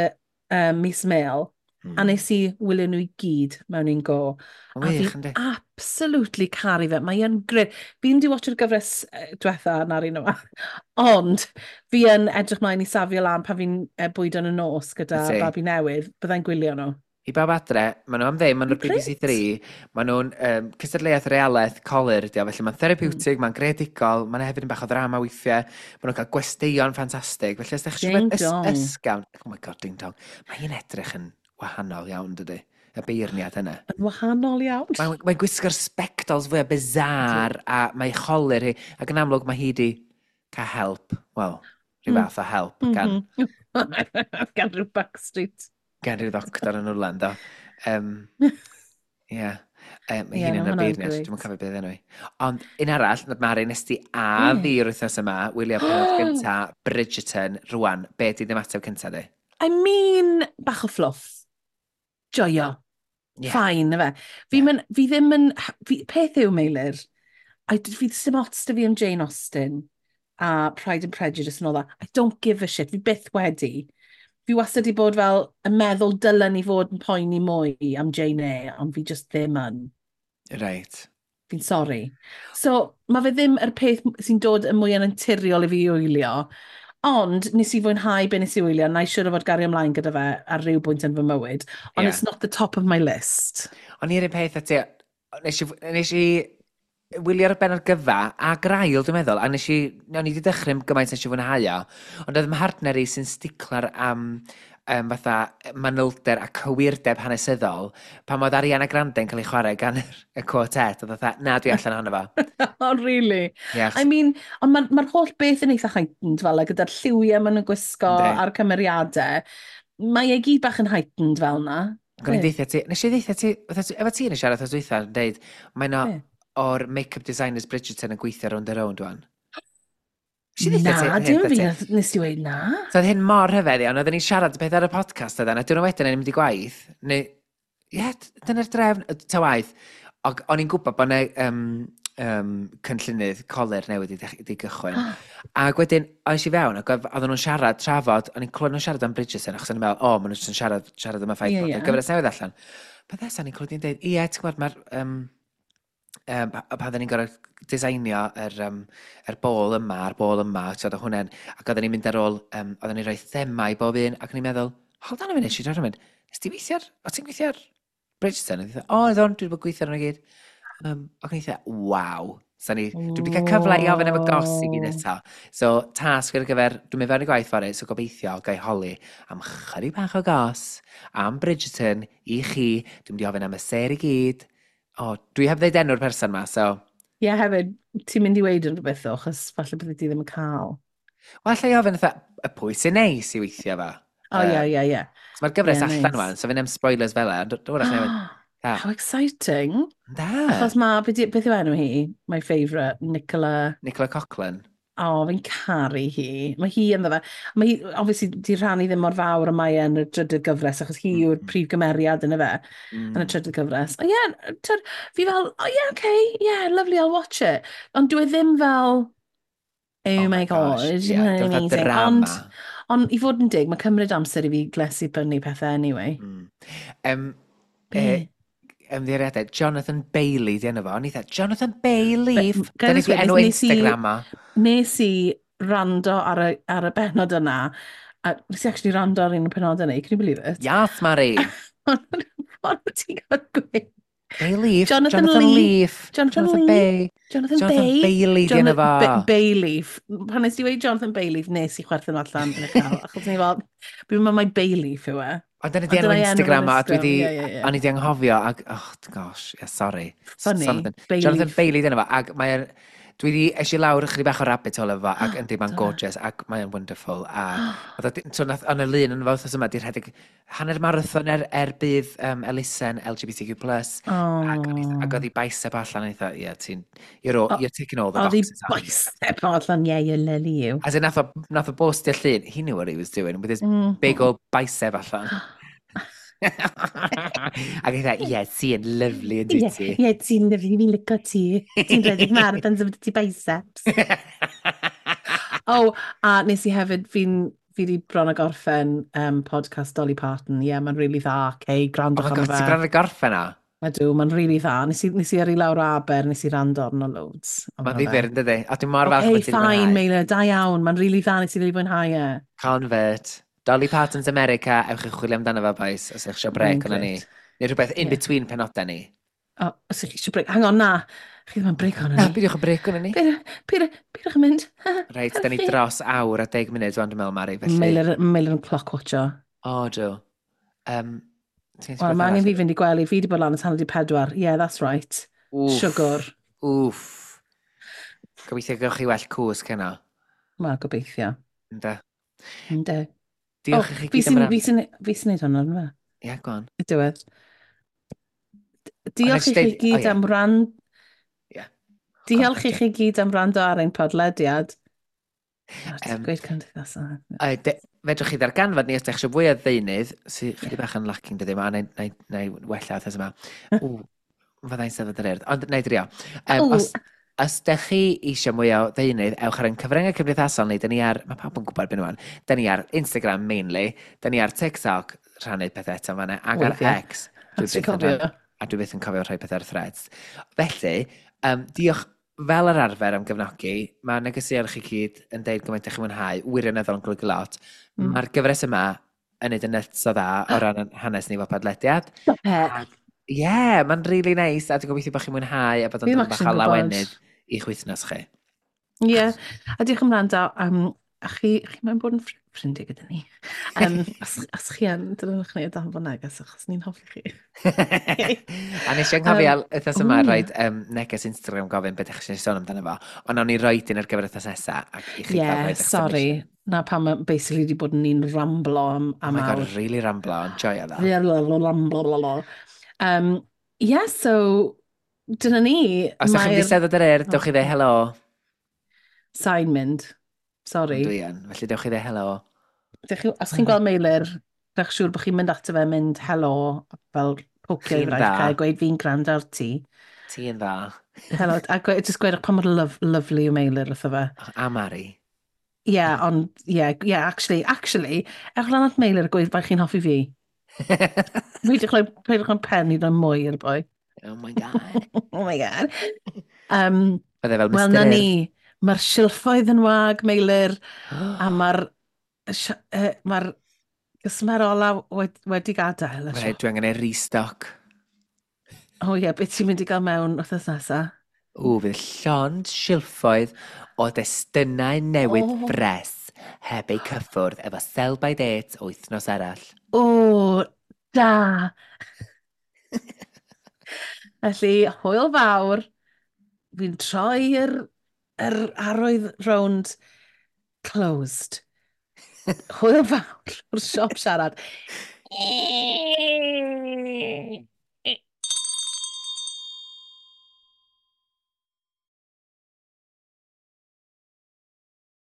mis Mel. A nes i wylio nhw i gyd mewn un go. A fi absolutely caru fe. Mae yn grêt. Fi'n di watcho'r gyfres diwetha na'r un yma. Ond fi yn edrych mlaen i safio lan pan fi'n bwydo yn y nos gyda babi newydd. Byddai'n gwylio nhw. I bawb adre, maen nhw am ddim, maen nhw'r BBC 3, maen nhw'n cystadleuaeth realaeth colur ydi o, felly mae'n therapeutig, mae'n greadigol, mae'n hefyd yn bach o ddrama weithiau, maen nhw'n cael gwesteion ffantastig, felly os ydych chi Ding eisiau dong. Ysgafn, oh my God, ding dong, mae hi'n edrych yn wahanol iawn, dydy, y beirniad yna. Yn wahanol iawn. Mae'n gwisgo'r spectols fwyaf bizarre, a mae cholur hi, ac yn amlwg mae hi di cael help, wel, rhyw fath o help gan, Gan rhyw Backstreet. Gan rhyw ddoctor yn Orlando. Ie. Mae Ie, hi'n na, yn y ma' hwnna'n beirniad, grêt. dwi'n cofio beth enw i. Ond un arall, nad Mari, nes ti a fi yr wythnos yma, wylio penod gynta Bridgerton rwan. Be di ymateb cynta di? I mean, bach o fluff. Joio. Fine, na fe. Fi, fi ddim yn. Fi, peth yw, Meilir, fi sim ots da fi am Jane Austen a Pride and Prejudice and all that. I don't give a shit. Fi byth wedi. Fi wastad wedi bod fel yn meddwl dylen ni fod yn poeni mwy am Jane Eyre, ond fi just ddim yn. Fi'n sorry. So, mae fe ddim yr peth sy'n dod yn mwy yn naturiol i fi wylio, ond nes i fwynhau be nes i wylio, na i siŵr o fod gario ymlaen gyda fe ar ryw bwynt yn fy mywyd, ond it's not the top of my list. O'n i'r un peth â ti, nes i wylio'r benod gyfa a grail, dwi'n meddwl, a o'n i wedi dechrau gymaint nes i fwynhau o, ond oedd mhartner i sy'n sticlar am fatha manylder a cywirdeb hanesyddol, pan oedd Ariana Grande yn cael ei chwarae gan y quartet, oedd fatha, "Na, dwi allan ohono fo." Oh, really? Yeah. I mean, ond mae'r ma holl beth yn eitha heightened fel 'na, gyda'r lliwiau maen nhw'n gwisgo a'r cymeriadau. Mae e gyd bach yn heightened fel 'na. Ac o'n i'n deithio ti, nes i ddeithio ti, efo ti yn y siarad wrth dwytha, yn deud, mae no o'r make-up designers Bridgerton yn gweithio Rownd a Rownd wan. Nes i ddeithio ti Na, dim fi nes i weud na. So oedd hyn mor rhyfedd iawn, oedden ni'n siarad peth ar y podcast oedden, a diwrnod wedyn o'n i'n mynd i gwaith, neu, ie, yeah, dyna'r drefn, ta waith. Ac o'n i'n gwybod bod yna cynllunydd colur newydd i gychwyn. Ac wedyn, o'n i fewn, ac oedden nhw'n siarad, trafod, o'n i'n clywed nhw'n siarad am Bridgerton, achos o'n i'n meddwl, o, maen nhw'n jyst yn siarad am y ffaith bod y gyfres newydd allan. Peth nesaf, o'n i'n clywed i'n dweud, ie, ti'n gwybod, mae'r, pan oedden ni'n gorfod designio yr bol yma a'r bol yma, ti'n gwbod, hwnna'n, ac oedden ni'n mynd ar ôl, oedden ni'n rhoi thema i bob un, ac o'n i'n meddwl, hold on a minute, si'n mynd, nes ti weithio ar, o ti'n gweithio ar Bridgerton? A o, oeddwn, dwi wedi bod gweithio ar hwnna i gyd. Ac o'n i'n dweud, waw. So dwi wedi cael cyfle i ofyn am y goss i gyd eto. So, tasg ar gyfer, dwi'n mynd fewn i gwaith fory, so gobeithio gai holi am chydig bach o goss, am Bridgerton, i chi. Dwi'n mynd i ofyn am y ser i gyd. O, dwi heb ddeud enw'r person ma, so. Ie, yeah, hefyd, ti'n mynd i weud yn rhywbeth o, achos falle bydde ti ddim yn cael. Wel, allai ofyn fatha, y pwy sy'n neis i weithio fo? O, ie, ie, ie. So mae'r gyfres allan wan, so fi'n am spoilers fel e, ond dwi'n newid. How exciting. Da. Achos mae, beth yw enw hi? My favourite, Nicola. Nicola Coughlan. O, oh, fi'n caru hi. Mae hi ynddo fe. Mae hi, obviously, di rhannu ddim mor fawr y mae yn y drydydd gyfres, achos hi yw'r prif gymeriad yn y fe, yn y trydydd gyfres. O ie, yeah, fi fel, oh yeah, okay, yeah, lovely, I'll watch it. Ond dwi ddim fel, oh my God, yeah, amazing. Drama. Ond i fod yn dig, mae cymryd amser i fi glesu brynu pethau anyway. Be? Ymddiheuriadau, Jonathan Bailey di enw fo. O'n i dda, Jonathan Bailey. Dyna di enw Instagram o. Nes i rando ar y benod yna. A nes i actually rando ar un o'r penod yna, can you believe it? Yes, Mari. Ond ti'n gael gweud? Bayleaf. Jonathan, Jonathan Leaf. Leaf. Jonathan, Jonathan Lee. Bay. Jonathan, Jonathan Bay. Bailey di enw fo. Bayleaf. Pan nes i weud Jonathan Bayleaf, nes i chwerthin allan yn y cael. Achos ni fel, fi'n meddwl mai Bayleaf yw e. Ond dyna di Ond enw dyna i enw Instagram o, a dwi di, Instagram, ie, ie, ie. o'n i di anghofio, ac, oh gosh, yeah, sorry. Funny, Jonathan, Bayleaf. Jonathan Bailey di enw fo, ac mae'n, Dwi di, es i lawr ychydig bach o rabbit hole efo fo, ac yndi, mae'n gorgeous, ac mae'n wonderful. A, oedd o, so nath, ond y lun yn fo wythnos yma, di rhedeg hanner marathon er budd elusen LGBTQ+. Ac, ac oedd hi bicep allan, a eitha, yeah, ti'n, you're, all, you're ticking all the boxes. Oedd hi bicep allan, yeah, you're lovely you. As in, nath o bostio llun, he knew what he was doing, with his big old bicep allan. Ac eitha, ie, ti'n lyfli yn dwyt ti. Ie, ti'n lyfli, fi'n licio ti. Ti'n rhedeg marathons efo ti biceps. Oh, a nes i hefyd, fi di bron a gorffen podcast Dolly Parton. Ie, yeah, mae'n really dda, okay, gwrandwch oh my arno God, fe. Ti'n bron a gorffen o? Ydw, mae'n really dda. Nes i yrru lawr o Aber, nes i rando arno loads. Mae'n ddifyr, yn dydi? A dwi'n mor falch okay, bod ti'n fine, Meilir, da iawn. Mae'n really dda, nes i really fwynhau e. Convert. Dolly Parton's America, ewch i chwilio amdano fo, boys, os ydych eisiau brec o'na ni. Neu rhywbeth in between penodau ni. O, os ydych chi eisiau brec. Hang on, na. Chi ddim yn brec o'na ni. Na, beidiwch yn brec o'na ni. Peidiwch yn mynd. Reit, da ni dros awr a 10 munud wan, dwi'n meddwl, Mari, felly. Meilir yn clock watcher. O, dw. Wel, mae angen fi fynd i gwely. Fi wedi bod lan at 3:30. Yeah, that's right. Wff. Siwgr. Wff. Gobeithio gewch chi well cwsg heno. Wel, gobeithio. Ynde. Ynde. Diolch i chi gyd am rando. Fi sy'n neud hwnna, yna fe? Ie, go on. Y diwedd. Diolch i chi gyd am rand... Diolch i chi gyd am rando ar ein podlediad. Ti'n gweud cymdeithasol. Fedrwch chi ddarganfod ni os ydych eisiau fwy o ddeunydd, sy'n chydig bach yn lacking dydy yma, a na i wella wythnos yma. Ww, fyddai'n sefyll yr urdd, ond na i drio. Os ydych chi eisiau mwy o ddeunydd, ewch ar ein cyfryngau cymdeithasol ni, dyn ni ar, mae pawb yn gwybod beth nhw'n, dyn ni ar Instagram mainly, dyn ni ar TikTok, rhannu pethau eto fan'na, ac ar X. A dwi byth yn cofio rhai pethau ar Threads. Felly, diolch fel yr arfer am gefnogi. Mae negeseuon chi gyd yn deud gymaint ych chi'n mwynhau, wirioneddol yn golygu lot. Mae'r gyfres yma yn neud yn nuts o dda o ran hanes ni fel podlediad. Ie, mae'n really nice, a dwi'n gobeithio bod chi'n mwynhau a bod o'n dod bach o lawenydd i'ch wythnos chi. Ie, yeah. A diolch am wrando. A chi mae'n bod yn ffrindiau gyda ni. Os chi yn, dylwnwch ni o danfon neges, achos ni'n hoffi chi. A nes i anghofio wythnos yma rhoi neges Instagram gofyn beth ydych chi'n sôn amdano fo, ond nawn ni roi un ar gyfer wythnos nesa ac i chi gael rhoi eich sorry. Na pam mae basically wedi bod ni'n ramblo am awr. Oh my God, really ramblo, enjoy that. Ramblo. Yeah, so dyna ni. Os ydych chi'n mynd i Steddfod yr Urdd, dewch i ddweud helo. Sa'n mynd. Sorry. Dwi yn, felly dewch i ddweud helo. Os chi'n gweld Meilir, dewch siŵr bod chi'n mynd ato fe, mynd helo, fel pocio i fraich a gweud fi'n gwrando ar ti. Ti'n dda. Helo, a just gweud pa mor lovely yw Meilir wrtho fe. A Mari. Yeah, ond, yeah, actually, ewch lan at Meilir a gweud faint chi'n hoffi fi. Peidiwch rhoi pen i roi mwy i'r boi. Oh my God. Oh my God. Bydde fel Mr. Wel, na ni. Mae'r silffoedd yn wag, Meilir, a mae'r cwsmer ola wedi gadael. Rhaid, dwi angen ei restock. O ie, beth ti'n mynd i gael mewn wythnos nesaf? O, fydd llond silffoedd o destunau newydd ffres heb eu cyffwrdd efo sell by date wythnos arall. O, da! Felly, hwyl fawr. Fi'n troi yr arwydd rownd closed. Hwyl fawr o'r siop siarad.